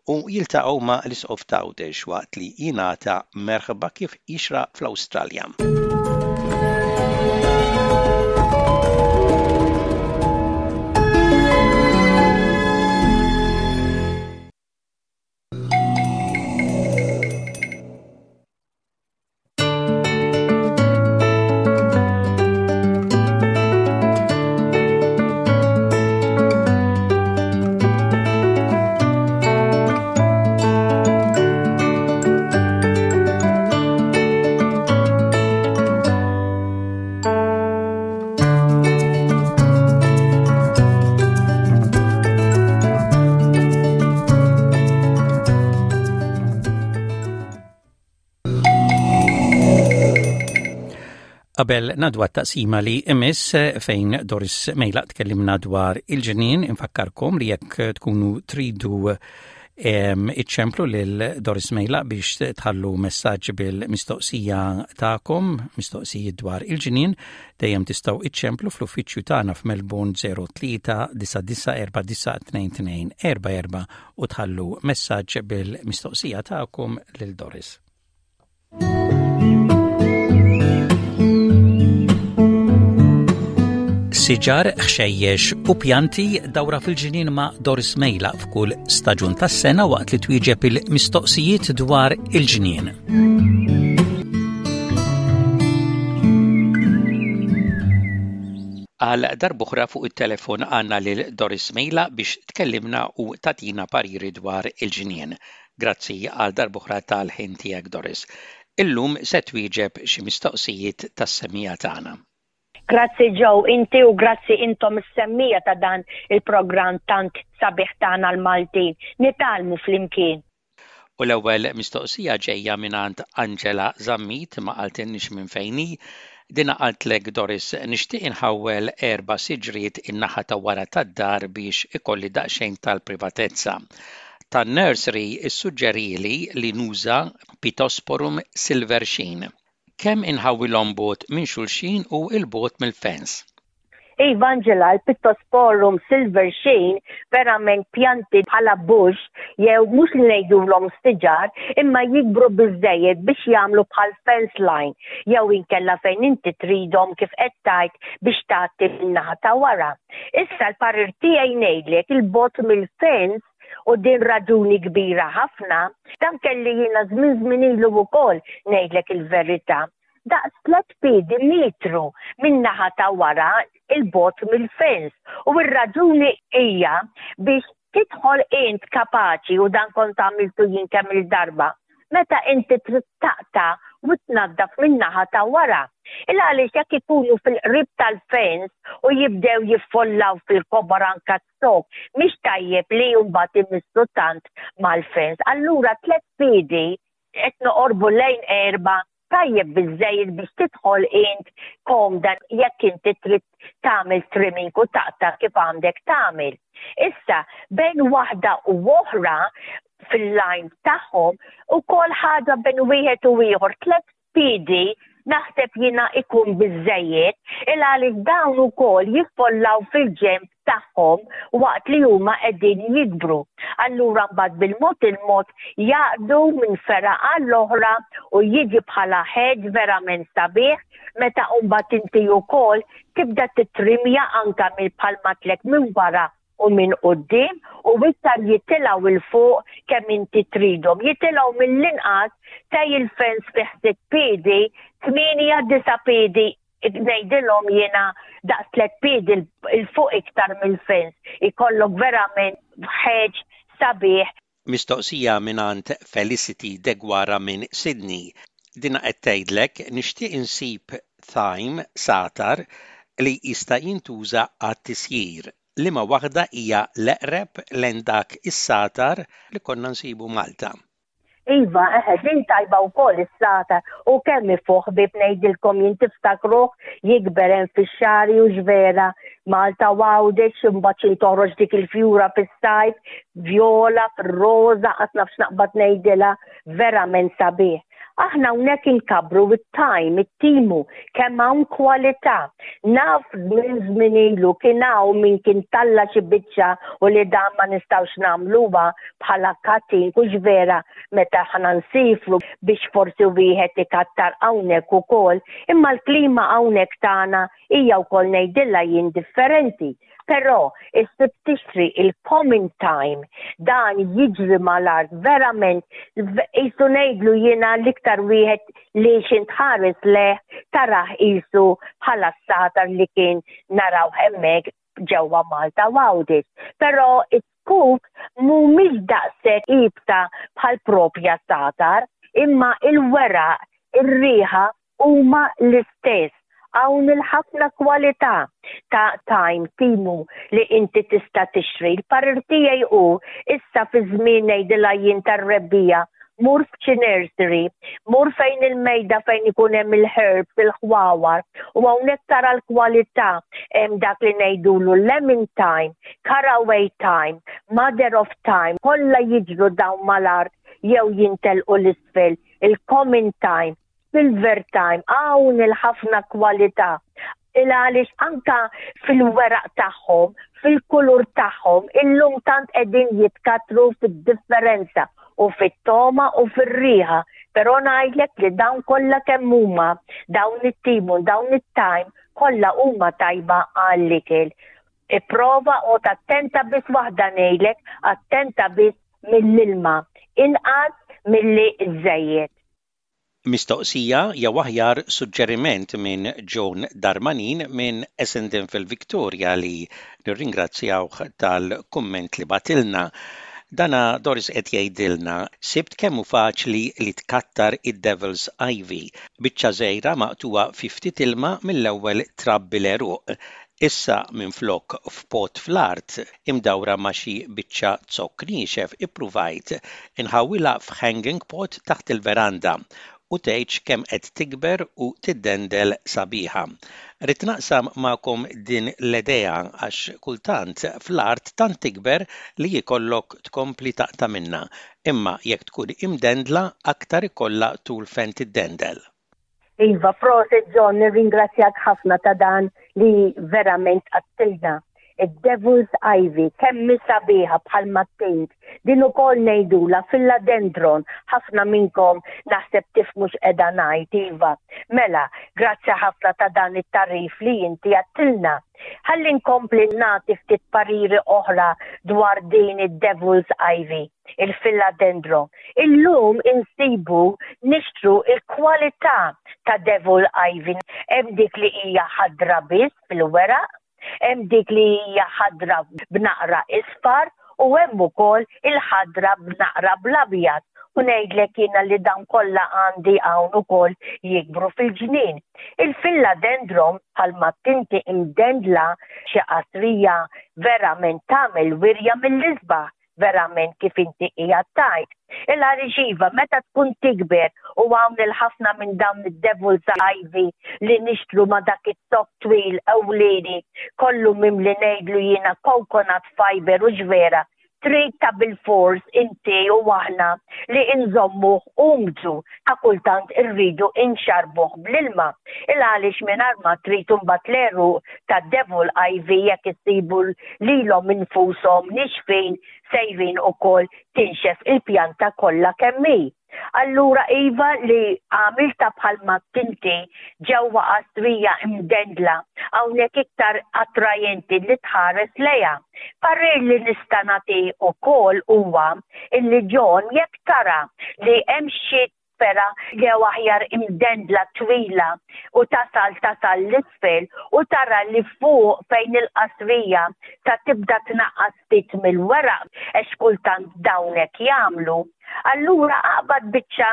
u jiltaqgħu ma' l-Isqof t'Għawdex waqt li jingħata merħba kif jixraq fl-Awstralja. Qabel ngħaddu għat-taqsima li imiss fejn Doris Mejlaq tkellimna dwar il-ġnien, infakkarkom li jekk tkunu tridu iċċemplu lil Doris Mejlaq biex tħallu messaġġ bil-mistoqsija tagħkom, mistoqsijiet dwar il-ġnien, dejjem tistgħu iċċemplu fl-uffiċċju tagħna f'Melbourne zero tlieta disa' disa' erba' disa' tnejn tnejn erba' erba' u tħallu messaġġ bil-mistoqsija tagħkom lil Doris. Siġar, ħxejjex u pjanti dawra fil-ġnien ma' Doris Mejlaq f'kull staġun tas-sena waqt li twieġeb il-mistoqsijiet dwar il-ġnien. Għal darb'oħra fuq it-telefon għandna lil Doris Mejlaq biex tkellimna u tatina pariri dwar il-ġnien. Grazzi għal darb'oħra tal-ħin tiegħek, Doris. Illum se twieġeb xi mistoqsijiet tas-semija tagħna. Grazzi Joe, inti u grazzi intom is-semmija ta' dan il-programm tant sabiħ tagħna l-Maltin. Nitgħallmu flimkien. U l-ewwel mistoqsija ġejja mingħand Angela Zammit, ma qaltilniex minn fejn hi. Dina qaltlek Doris, nixtieq inħawwel erba' siġriet in-naħa ta' wara tad-dar biex ikolli daqsxejn tal-privatezza. Tan-nursery issuġġerili li nuża Pittosporum Silver Sheen. Kemm inħawwilhom bogħod minn xulxin u l-bogħod mill-fens? Iva, Angela, il-Pittosporum Silver Sheen verament pjanti bħala bush jew mhux li ngħidulhom stiġar, imma jikbru biżżejjed biex jagħmlu bħal fence line jew inkella fejn inti tridhom kif qed tgħid biex tagħti min-naħa ta' wara. Issa l-parir tiegħi ngħidlek il-bogħod mill-fence u din raġuni kbira ħafna, dan kelli jiena żmien żmien ilu wkoll ngħidlek il-verità. Daqs tliet piedi metru min-naħa ta' wara il-bogħod mill-fens. U r-raġuni hija biex tidħol int kapaċi, u dan kont għamiltu jien kemm il-darba, meta inti trid taqta' u tnaddaf min-naħa ta' wara. Il għaliex jekk ikunu fil-qrib tal-fens u jibdew jiffollaw fil-kobor anka s-sok, mhix tajjeb li mbagħad imissu tant mal-fens. Allura tliet piedi qed noqorbu lejn erba' tajjeb biżżejjed biex tidħol int komda jekk inti trid tagħmel trimming u taqta' kif għandek tagħmel. Issa bejn waħda u oħra fil-line tagħhom ukoll ħaġa bejn wieħed u ieħor tliet piedi naħseb jiena ikun biżżejjed, il għaliex dawn ukoll jiffollaw fil-ġenb tagħhom waqt li huma qegħdin jikbru. Allura mbagħad bil-mod il-mod jaqdu minn fergħa għall-oħra u jiġi bħala hedge verament sabiħ meta mbagħad inti wkoll tibda titrimja anka mill bħalma tlek minn wara u minn quddiem u iktar jitilgħu il fuq kemm inti tridhom. Jitilgħu mill-inqas tej il-fens fi sitt piedi, tmienja disa' piedi, ngħidilhom jiena daqs tliet piedi il fuq iktar mill-fens. Ikollok verament hedge sabiħ. Mistoqsija mingħand Felicity Degwara minn Sydney. Dina qed tgħidlek nixtieq insib thyme satar li jista' jintuża għat-tisjir. Liema waħda hija l-eqreb lejn dak is-satar li konna nsibu Malta. Iva, eħe, din tajba wkoll is-satar u kemm ifuħ bib ngħidilkom jien tiftakruh jikber hemm fix-xagħri u x'vera Malta u Għawdex, imbagħad xi toħroġ dik il-fjura fis-sajf, vjola, fir-roża, qas naf x'naqbad ngħidilha, verament sabiħ. Aħna hawnhekk inkabbru it-thyme, it-timu, kemm hawn kwalità. Naf minn żmien ilu kien hawn min kien talla' xi biċċa u li dan ma nistgħux nagħmluha bħala cutting, hux vera meta aħna nsifru biex forsi wieħed ikattar hawnhekk ukoll, imma l-klima hawnhekk tagħna hija wkoll ngħidilha jien differenti. Però issib tixtri il-common thyme, dan jiġri mal-art verament qisu ngħidlu jiena l-iktar wieħed li x'ħin tħares lejh tarah qisu bħala s-satar li kien naraw hemmhekk ġewwa Malta u Għawdex. Però it-zkuk mhumiex daqshekk iebsa bħal propja satar, imma il-weraq, ir-riħa huma l-istess. Hawn il-ħafna kwalità ta' thyme, timu li inti tista' tixtri. Il-parir tiegħi hu issa fi żmien ngħidilha jien tar-rebbiegħa, mur f'xi nursery, mur fejn il-mejda fejn ikun hemm il-herbs, il-ħwawar, u hawnhekk tara l-kwalità hemm dak li ngħidulu lemon thyme, caraway thyme, mother of thyme, kollha jiġru dawn mal-art jew jintelqu l-isfel, il-common thyme, silver thyme, hawn il-ħafna kwalità. Il għaliex anka fil-weraq tagħhom, fil-kulur tagħhom, illum tant qegħdin jitkatru fid-differenza u fit-togħma u fir-riħa. Però ngħidlek li dawn kollha kemm huma, dawn it-timu, dawn it-thyme, kollha huma tajba għall-ikel. Ipprova u attenta biss waħda ngħidlek, attenta biss mill-ilma, inqas milli żejjed. Mistoqsija jew aħjar suġġeriment minn John Darmanin minn Essendon fil-Victoria li nirringrazzjawh tal-kumment li bagħtilna. Dana Doris qed jgħidilna sibt kemm hu faċli li tkattar id-Devil's Ivy. Biċċa żgħira maqtugħa fi ftit ilma mill-ewwel trabbi l-għeruq. Issa minflok f'pot fl-art imdawra ma' xi biċċa zokk niexef ippruvajt inħawwilha f'hanging pot taħt il-veranda u tgħidx kemm qed tikber u tiddendel sabiħa. Ridt naqsam magħkom din l-idea għax kultant fl-art tant tikber li jkollok tkompli taqta' minna, imma jekk tkun imdendla aktar ikollha tul fejn tiddendel. Iva, prosit John, nirringrazzjak ħafna ta' dan li verament għedtilna. Id-Devil's Ivy, kemm sabiħa bħal mattint, din ukoll ngħidula philodendron, ħafna minnkom naħseb tifhmu x'qiegħda ngħid, iva. Mela, grazzi ħafna ta' dan it-tagħrif li inti għedtilna. Ħalli nkompli nagħti ftit pariri oħra dwar din id-Devil's Ivy, il-philodendron. Illum insibu nixtru il-kwalità ta' Devil Ivy. Hemm dik li hija ħadra biss fil-weraq, hemm dik li hija ħadra b'naqra isfar u hemm ukoll il-ħadra b'naqra bl-abjad. U ngħidlek jiena li dawn kollha għandi hawn ukoll jikbru fil-ġnien. Il-philodendron bħalma tinti imdendla xi qasrija verament tagħmel wirja mill-isbaħ, verament kif inti qiegħed tgħid. Il-għaliex iva, meta tkun tikber u hawn il-ħafna minn dawn id-Devil's Ivy li nixtru ma' dak it-zokk twil ewlieni kollu mimli ngħidlu jiena coconut fiber u ġvera, trid ta' bil-fors inti u aħna li inżommuh umdu ta' kultant irridu inxarbuh bl-ilma. Il-għaliex mingħajr ma trid imbagħad l-għeruq ta' Devil Ivy jekk issibu lilhom infushom nixfin sejrin ukoll tinxef il-pjanta kollha kemm hi. Allura iva li għamilta bħalma tinti ġewwa qastrija imdendla hawnhekk iktar attrajenti li tħares lejha. Parir li nista' nagħti ukoll huwa illi John jekk tara li hemm xi pera jew aħjar imdendla twila u tasal tasal l-isfel u tara li fuq fejn il-qasrija ta' tibda tnaqqas ftit mill-weraq għax kultant dawnek jagħmlu. Allura aqbad biċċa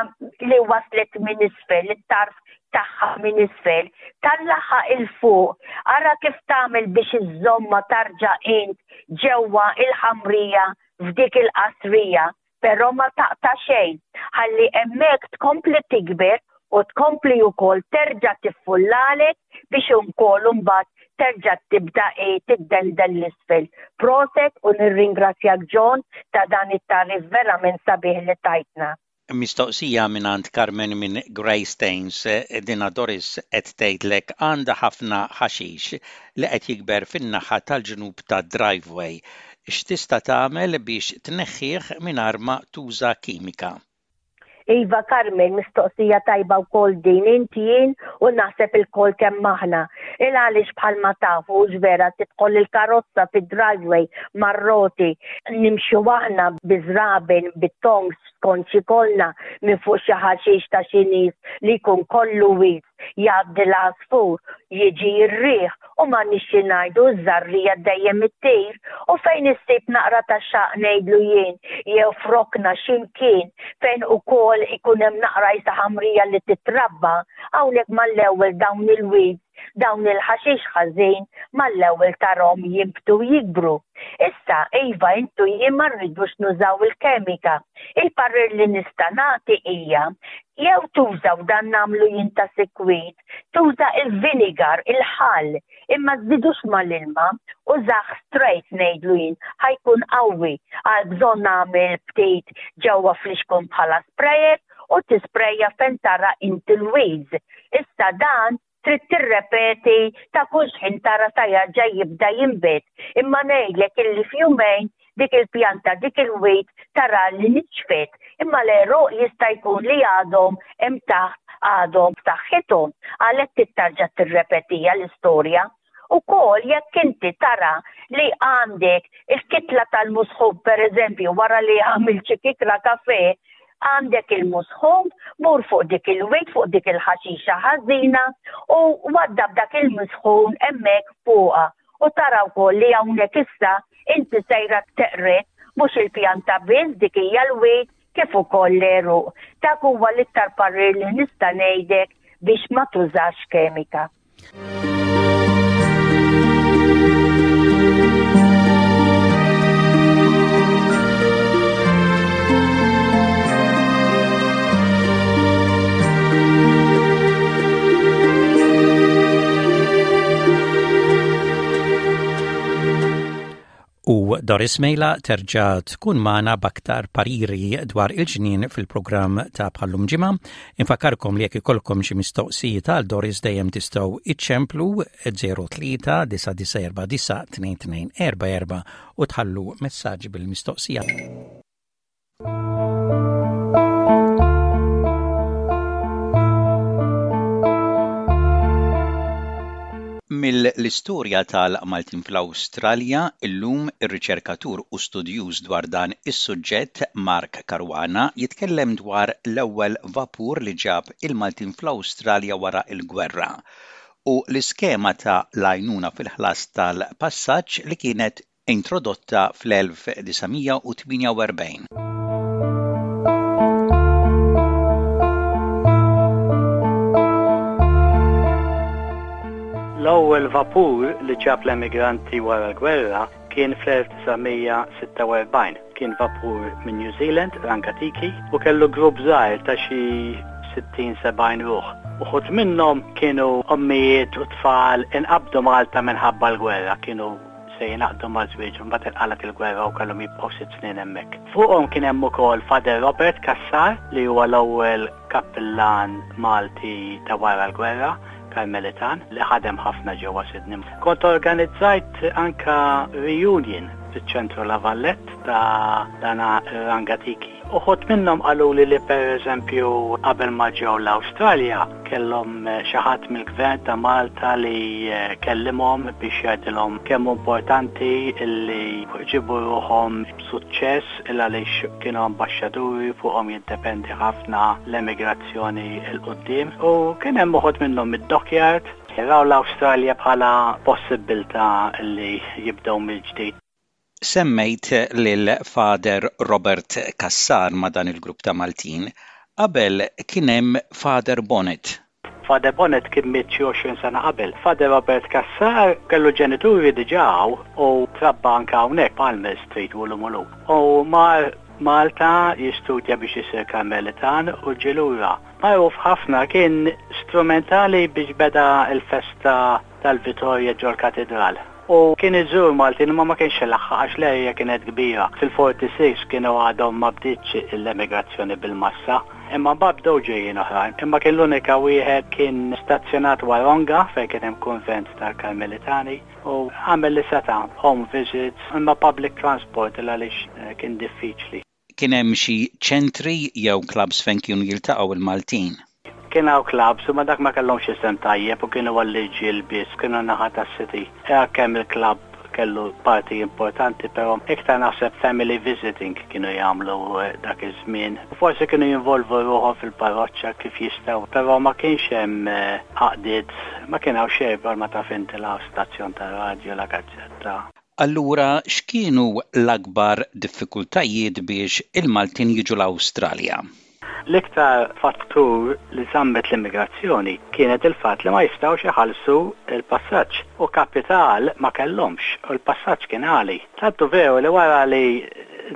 li waslet minn isfel, it-tarf tagħha minn isfel, tellagħha 'l fuq, ara kif tagħmel biex iżżomma tarġa' int ġewwa il-ħamrija f'dik il-qasrija, però ma taqta' xejn, ħalli hemmhekk tkompli tikber u tkompli wkoll terġa' tiffullalek biex ukoll imbagħad terġa' tibda tiddendel 'l isfel. Proset u nirringrazzjak John ta' dan it-tagħrif verament sabiħ li tajtna. Mistoqsija mingħand Carmen minn Greystanes, dina Doris qed tgħidlek għandha ħafna ħaxix li qed jikber fin-naħa tal-ġnub tad-driveway. X'tista' tagħmel biex tneħħih mingħajr ma tuża kimika? Iva Carmen, mistoqsija tajba wkoll din inti jien u naħseb ilkoll kemm aħna. Il għaliex bħalma tafu vera tidħol il-karozza fid-driveway mar-roti nimxu aħna biż-żraben bit-tongs skont x'ikollna minn fuq xi ħaxix ta' xi nies li jkun kollu weeds jgħaddi l-għasfur, jiġi r-riħ u m'għandniex xi ngħidu ż-żarrija dejjem ittir u fejn issib naqra ta' xaq ngħidlu jien jew f'rokna x'imkien fejn ukoll ikun hemm naqra isa ħamrija li titrabba, hawnhekk mal-ewwel dawn il-weeds, dawn il-ħaxix ħażin mal-ewwel tarahom jinbtu jikbru. Issa, iva, intu jien ma rridux nużaw il-kemika. Il-parir li nista' nagħti hija jew tuża u dan nagħmlu jien ta' sikwit, tuża il-vinegar, il-ħall, imma żidux mal-ilma, użah straight ngħidlu jien, ħa jkun qawwi, għal bżonn nagħmel ftit ġewwa flixkun bħala sprayer u tisprejja fejn tara inti l-weeds. Issa dan trid tirrepeti ta' kull xħin tara ta' jarġa' jibda jinbet. Imma ngħidlek illi f'jumejn dik il-pjanta, dik il-weed tara li nixfet. Imma l-għeruq jista' jkun li għadhom hemm taħt għadhom b'saħħithom. Għalhekk trid tarġa' tirrepetija l-istorja. Ukoll jekk inti tara li għandek il-kitla tal-musħub, per eżempju, wara li għamilt xi kikra kafe, għandek il-musħub, mur fuq dik il-weed, fuq dik il-ħaxixa ħażina u waddab dak il-musħun hemmhekk fuqha. U tara wkoll li hawnhekk issa inti sejra teqred mhux il-pjanta biss dik hija l-weed kif ukoll l-għeruq. Dak huwa l-iktar parir li nista' ngħidlek biex ma tużax kemika. U Doris Mejla terġa' tkun magħna b'aktar pariri dwar il-ġnien fil-programm ta' bħallum ġimgħa. Infakkarkom li jekk ikollkom xi mistoqsijiet għal Doris dejjem tistgħu iċċemplu zero tlieta disa' disa' erba' disa' tnejn tnejn erba' erba' u tħallu messaġġ bil-mistoqsija. Mill-istorja tal-Maltin fl-Awstralja, illum ir-riċerkatur u studjuż dwar dan is-suġġett Mark Caruana jitkellem dwar l-ewwel vapur li ġab il-Maltin fl-Awstralja wara l-gwerra u l-iskema ta' l-għajnuna fil-ħlas tal-passaġġ li kienet introdotta fl-elf disa' mija u tmienja u erbgħin. L-ewwel vapur li ġab l-emigranti wara l-gwerra kien fl-elf disa' mija sitta u erbgħin. Kien vapur minn New Zealand, Rangatiki, u kellu grupp żgħir ta' xi sittin sebgħin ruħ. Uħud minnhom kienu ommijiet u tfal inqabdu Malta minħabba l-gwerra, kienu se jingħaqdu ma' żwieġ u mbagħad inqalgħet il-gwerra u kellhom jibqgħu sitt snin hemmhekk. Fuqhom kien hemm ukoll Father Robert Cassar li huwa l-ewwel kappillan Malti ta' wara l-gwerra, Karmelitan, li ħadem ħafna ġewwa Sydney. Kont organizzajt anka reunion fiċ-ċentru La Vallette ta' dana Rangatiki. Uħud minnhom qaluli li per eżempju qabel ma ġew l-Awstralja kellhom xi ħadd mill-gvern ta' Malta li kellimhom biex jgħidilhom kemm hu importanti li ġibu ruħhom b'suċċess il għaliex kienu ambaxxaturi fuqhom jiddependi ħafna l-emigrazzjoni 'l quddiem. U kien hemm uħud minnhom mid-dockyard raw l-Awstralja bħala possibilità li jibdew mill-ġdid. Semmejt lil Father Robert Cassar ma' dan il-grupp ta' Maltin. Qabel kien hemm Father Bonnet. Father Bonnet kien miet xi għoxrin sena qabel. Father Robert Cassar kellu ġenituri diġà u trabba anke hawnhekk Palmer Street u l-Umulu. U mar Malta jistudja biex isir Karmelitan u ġie lura. Magħruf ħafna, kien strumentali biex beda l-festa tal-Vitorja ġol-Katedral. U kien iżur Maltin imma ma kienx ilaħħaq għax l-area kienet kbira. Fil-forty six kienu għadhom ma bdietx l-emigrazzjoni bil-massa. Imma mbagħad bdew ġejjin oħrajn. Imma kien l-unika wieħed, kien stazzjonat Wahroonga fejn kien hemm kunvent tal-Karmelitani u għamel li seta' home visits, imma public transport għaliex eh, kien diffiċli. Kien hemm xi ċentri jew clubs fejn kienu jiltaqgħu il-Maltin? Kien hawn clubs, ma dak ma kellhomx isem tajjeb u kienu għall-irġiel biss, kienu naħa tas-city. Kemm il-club kellu parti importanti, però iktar naħseb family visiting kienu jagħmlu eh, dak iż-żmien. Forsi kienu jinvolvu ruħhom fil-parroċċa kif jistgħu, però ma kienx hemm eh, għaqdiet, ma kien hawn xejn, ma taf inti, la stazzjon ta' radio, la gazzetta. Allura x'kienu l-akbar diffikultajiet biex il-Maltin jiġu l-Awstralja? L-iktar fattur li żammet l-immigrazzjoni kienet il-fatt li ma jistgħux iħallsu il-passaġġ u kapital ma kellhomx u l-passaġġ kien għali. Tantu veru li wara li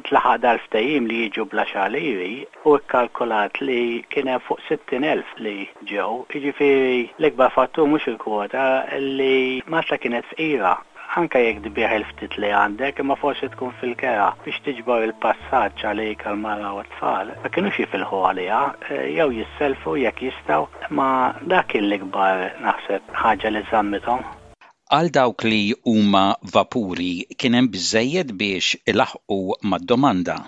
ntlaħaq dal-ftehim li jiġu bl-għaxar liri u kkalkulat li kien hemm fuq sittin elf li ġew, jiġifieri l-ikbar fattur mhux il-kwota, li Malta kienet fqira, anka jekk tbigħ il-ftit li għandek, imma forsi tkun fil-kera biex tiġbor il-passaġġ għalik, għal-mara u t-tfal, ma kienux jifilħu għaliha, eh, jew jisselfu jekk jistgħu, ma dak kien l-ikbar naħseb ħaġa li żammithom. Għal dawk li huma vapuri, kien hemm biżejjed biex ilaħqu mad-domanda?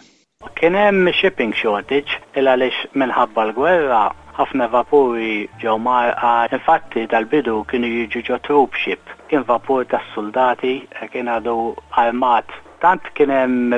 Kien hemm shipping shortage il għaliex minħabba l-gwerra ħafna vapuri ġew mgħarrqa. Infatti dal-bidu kienu jiġu ġo troop ship. Kien vapur tas-soldati, kien għadu armat. Tant kien hemm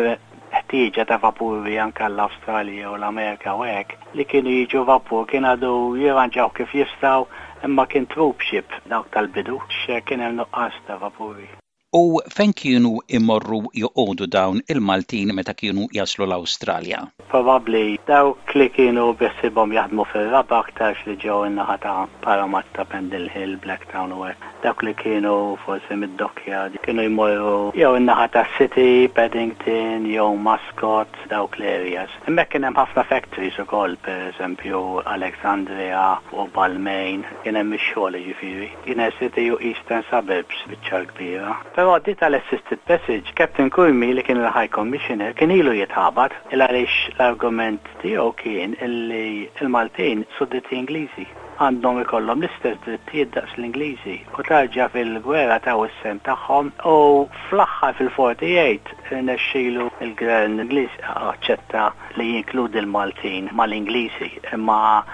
ħtieġa ta' vapuri anke l-Awstralja u l-Amerika u hekk li kienu jiġu vapur kien għadu jirranġaw kif jistgħu, imma kien troop ship dawk tal-bidu, kien hemm nuqqas ta' vapuri. U fejn kienu imorru joqogħdu dawn il-Maltin meta kienu jaslu l-Awstralja? Probabbli dawk li kienu beħsiebhom jaħdmu fil-raba' aktarx li ġew in-naħa ta' Parramatta, Pendle Hill, Blacktown u hekk. Dawk li kienu forsi mid-dockyard kienu jmorru jew in-naħa ta' City, Paddington, jew Mascot, dawk l-areas. Hemmhekk kien hemm ħafna factories ukoll, pereżempju Alexandria u Balmain, kien hemm ix-xogħol jiġifieri. Kien hemm City u Eastern Suburbs biċċa kbira. Però di tal-Assisted Passage, Captain Curmi li kien il-High Commissioner kien ilu jitħabat il għaliex l-argument tiegħu kien illi il-Maltin sudditi Ingliżi għandhom ikollhom l-istess drittijiet daqs l-Ingliżi u tarġa fil-gwerra taw is-sehem tagħhom, u fl-aħħar fil-forty-eight irnexxielu il-Gvern Ingliż aċċetta li jinkludi l-Maltin mal-Ingliżi, imma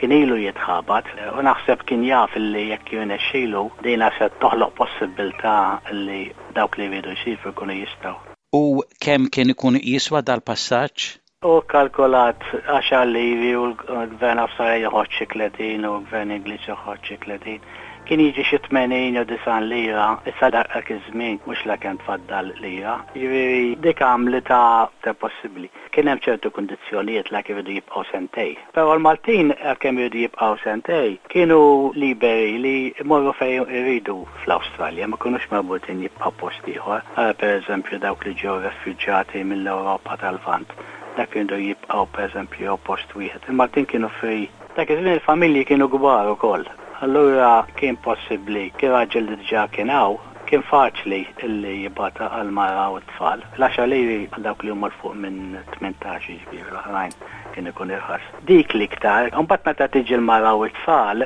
kien ilu jitħabat u naħseb kien jaf li jekk jirnexxielu dina se toħloq possibilità li dawk li jridu jsifru jkunu jistgħu. U kemm kien ikun jiswa dal-passaġġ? U kalkulat għaxar liri u l-gvern Awstraljan joħroġ xi tletin u l-gvern Ingliż joħroġ xi tletin. Kien jiġi xi tmenin jew disgħin lira, issa dak iż-żmien mhux la kemm tfaddal lira. Jiġifieri dik għamlitha ta' possibbli. Kien hemm ċertu kundizzjonijiet la iridu jibqgħu sentejn. Però l-Maltin kemm iridu jibqgħu sentejn, kienu liberi li jmorru fejn iridu fl-Awstralja, ma kinux marbutin jibqgħu post ieħor. Per eżempju dawk li ġew refuġjati mill-Ewropa tal-Lvant, dak kienu jibqgħu pereżempju post wieħed. Il-Maltin kienu free. Dak iż-żmien il-familji kienu kbar ukoll. Allura kien possibbli, kien raġel li diġà kien hawn, kien faċli illi jibgħatha għal-mara u t-tfal. L-għaxar liri għal dawk li huma fuq minn tmintax, jiġifieri l-oħrajn kien ikun irħas. Dik l-iktar, mbagħad meta tiġi l-mara u t-tfal,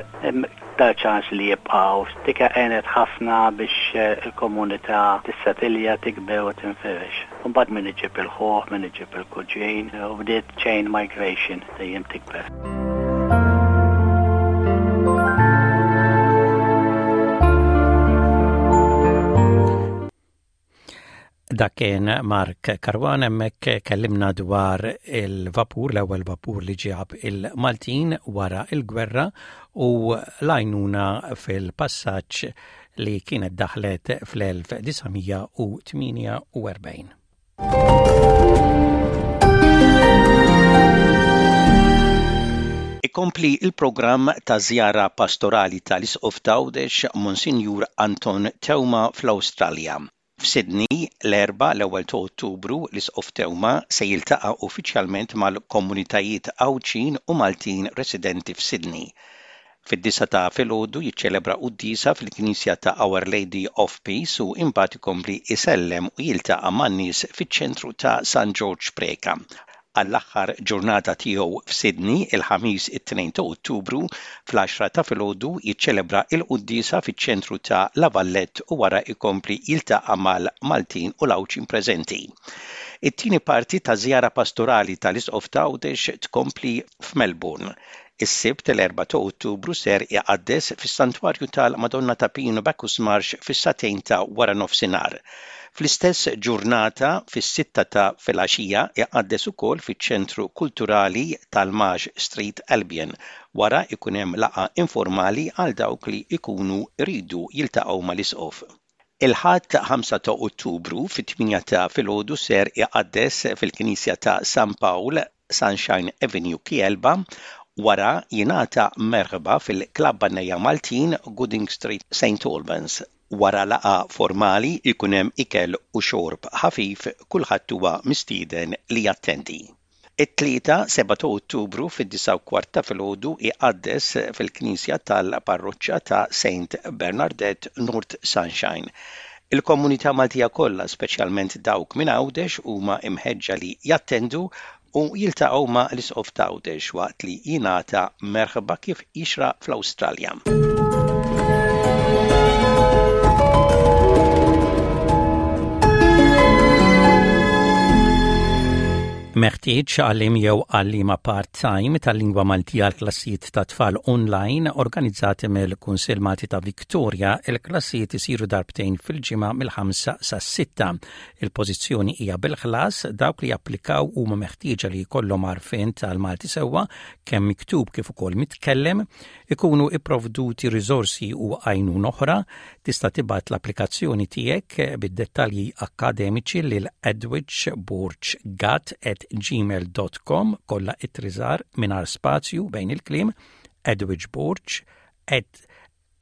da ċans li jibqgħu. Dik għenet ħafna biex il-komunità tissetilja, tikber u tinfirex. Mbagħad min iġib il-ħuħ, min iġib il-kuġin, u bdiet chain migration dejjem tikber. Dak kien Mark Caruana, hemmhekk kellimna dwar il-vapur, l-ewwel vapur li ġab il-Maltin wara il-gwerra u l-għajnuna fil-passaġġ li kienet daħlet fl-elf disa' mija u tmienja u erbgħin. Ikompli il-programm ta' żjara pastorali tal-Isqof t'Għawdex Monsinjur Anton Teuma fl-Awstralja. F'Sydney, l-Erbgħa l-ewwel ta' Ottubru, l-Isqof Teuma se jiltaqa' uffiċjalment mal-komunitajiet Għawdxin u Maltin residenti f'Sydney. Fid-disgħa ta' filgħodu jiċċelebra quddiesa fil-Knisja ta' Our Lady of Peace u imbagħad ikompli isellem u jiltaqa' man-nies fiċ-ċentru ta' San Ġorġ Preca. Għall-aħħar ġurnata tiegħu f'Sydney, il-Ħamis it-tnejn ta' Ottubru, fl-għaxra ta' filgħodu jiċċelebra l-quddiesa fiċ-ċentru ta' La Vallette u wara jkompli jiltaqa' mal-Maltin u l-Għawdxin preżenti. It-tieni parti taż-żjara pastorali tal-Isqof ta' Għawdex tkompli f'Melbourne. Is-Sibt l-erbgħa ta' Ottubru ser iqaddes fis-Santwarju tal-Madonna ta' Pinu Bacchus Marsh fis-sagħtejn ta' waranofsinhar. Fl-istess ġurnata fis-sitta ta' filgħaxija iqaddes ukoll fiċ-Ċentru Kulturali tal-Marsh Street Albion. Wara ikun hemm laqgħa informali għal dawk li jkunu jridu jiltaqgħu mal-Isqof. Il-Ħadd ħamsa ta' Ottubru fit-tmienja ta' filgħodu ser iqaddes fil-Knisja ta' San Pawl, Sunshine Avenue, Kielba, wara jingħata merħba fil-Klabb Bannejja Maltin, Gooding Street, Saint Albans. Wara laqgħa formali jkun hemm ikel u xorb ħafif, kulħadd huwa mistieden li jattendi. It-Tlieta, sebgħa ta' Ottubru fid-disgħa u kwart ta' filgħodu iqaddes fil-Knisja tal-Parroċċa ta' Saint Bernardette, North Sunshine. Il-komunità Maltija kollha, speċjalment dawk minn Għawdex, huma imħeġġa li jattendu u jiltaqgħu ma' l-Isqof ta' Għawdex waqt li jingħata merħba kif jixraq fl-Awstralja. Meħtieġ għalliem jew għalliema part-time tal-lingwa Maltija għal klassijiet ta' tfal online organizzati mill-Kunsill Malti ta' Victoria. Il-klassijiet isiru darbtejn fil-ġimgħa mill-ħamsa sas-sitta. Il-pożizzjoni hija bil-ħlas. Dawk li japplikaw huma meħtieġa li jkollhom għarfien tal-Malti sewwa kemm miktub kif ukoll mitkellem, ikunu ipprovduti riżorsi u għajnuna oħra. Tista' tibgħat l-applikazzjoni tiegħek bid-dettalji akkademiċi lil edwigeborggat at gmail dot com, kollha ittri żgħar mingħajr spazju bejn il-kliem, edwigeborg at,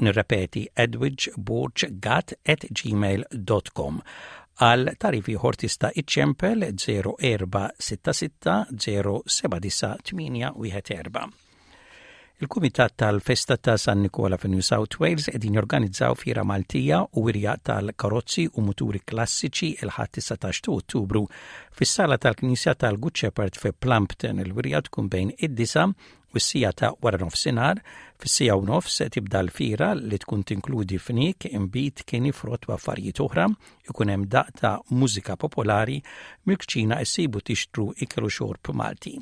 nirrepeti, edwigeborggat at gmail dot com. Għal tagħrif ieħor tista' iċċempel zero erba' sitta sitta zero seba' disa' tmienja wieħed erba'. Il-Kumitat tal-Festa ta' San Nikola fi New South Wales qegħdin jorganizzaw fiera Maltija u wirja tal-karozzi u muturi klassiċi il-Ħadd tlettax ta' Ottubru fis-sala tal-Knisja tal-Good Shepherd fi Plumpton. Il-wirja tkun bejn id-disa u s-sija ta' wara nofsinhar. Fis-sija u nofs tibda l-fiera li tkun tinkludi fniek, inbid, kini, frott u affarijiet oħra. Ikun hemm daq ta' mużika popolari, mill-kċina issibu tixtru ikel u xorb Malti.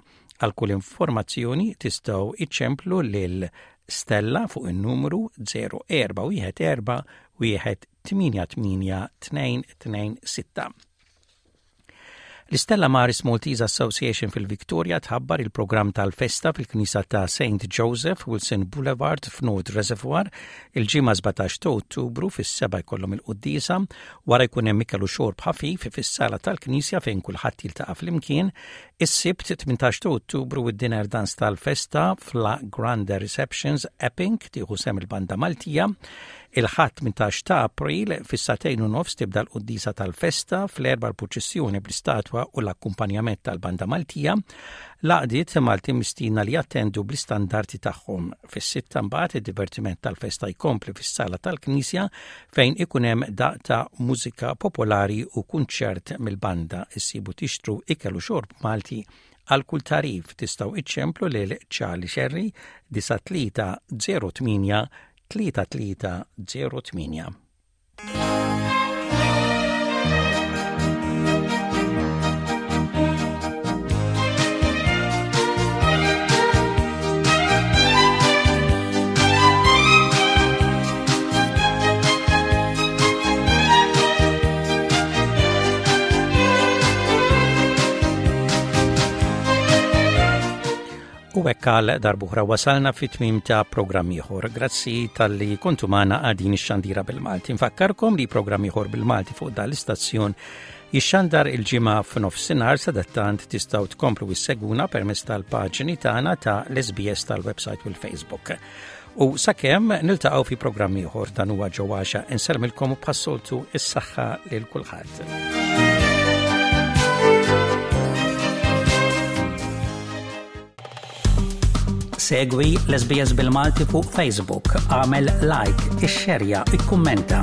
Għal kull informazzjoni tistgħu iċċemplu lil Stella fuq in-numru zero erba' wieħed erba' wieħed tmienja tmienja tnejn tnejn sitta. L-Stella Maris Maltese Association fil-Victoria tħabbar il-programm tal-festa fil-Knisa ta' Saint Joseph, Wilson Boulevard f'North Reservoir, il-ġimgħa sbatax ta' Ottubru fis-seba' jkollhom il-quddiesa, wara jkun hemm ikel u xorb ħafif fis-sala tal-Knisja fejn kulħadd jiltaqa' flimkien. Is-Sibt tmintax ta' Ottubru id-dinner dance tal-festa f'La Grande Receptions Epping tieħu sem il-Banda Maltija. Il-Ħadd tmintax ta' April fis-sagħtejn u nofs tibda l-quddiesa tal-festa, fl-erba' l-purċissjoni bl-istatwa u l-akkumpanjament tal-Banda Maltija. L-għaqdiet Malti mistiedna li jattendu bl-istandardi tagħhom. Fis-sitta mbagħad id-divertiment tal-festa jkompli fis-sala tal-Knisja fejn ikun hemm daq ta' mużika popolari u kunċert mill-banda. Issibu tixtru ikel u xorb Malti. Għal kull tagħrif tistgħu iċċemplu lil Charlie Sherry disa tlieta zero tmienja tlieta tlieta zero tmienja. U hekk għal darb'oħra wasalna fit-tmiem ta' programm ieħor. Grazzi talli kontu magħna għal din ix-xandira bil-Malti. Nfakkarkom li programm ieħor bil-Malti fuq dan l-istazzjon jixxandar il-ġimgħa f'nofsinhar. Sadattant tistgħu tkomplu issegwuna permezz tal-paġni tagħna ta' l-S B S tal-website u l-Facebook. U sakemm niltaqgħu fi programm ieħor, dan huwa Ġewwaxa, insellmilkom u bħas-soltu is-saħħa lil kulħadd. Segwi l-S B S bil-Malti fuq Facebook, agħmel like, ixxerja, ikkummenta.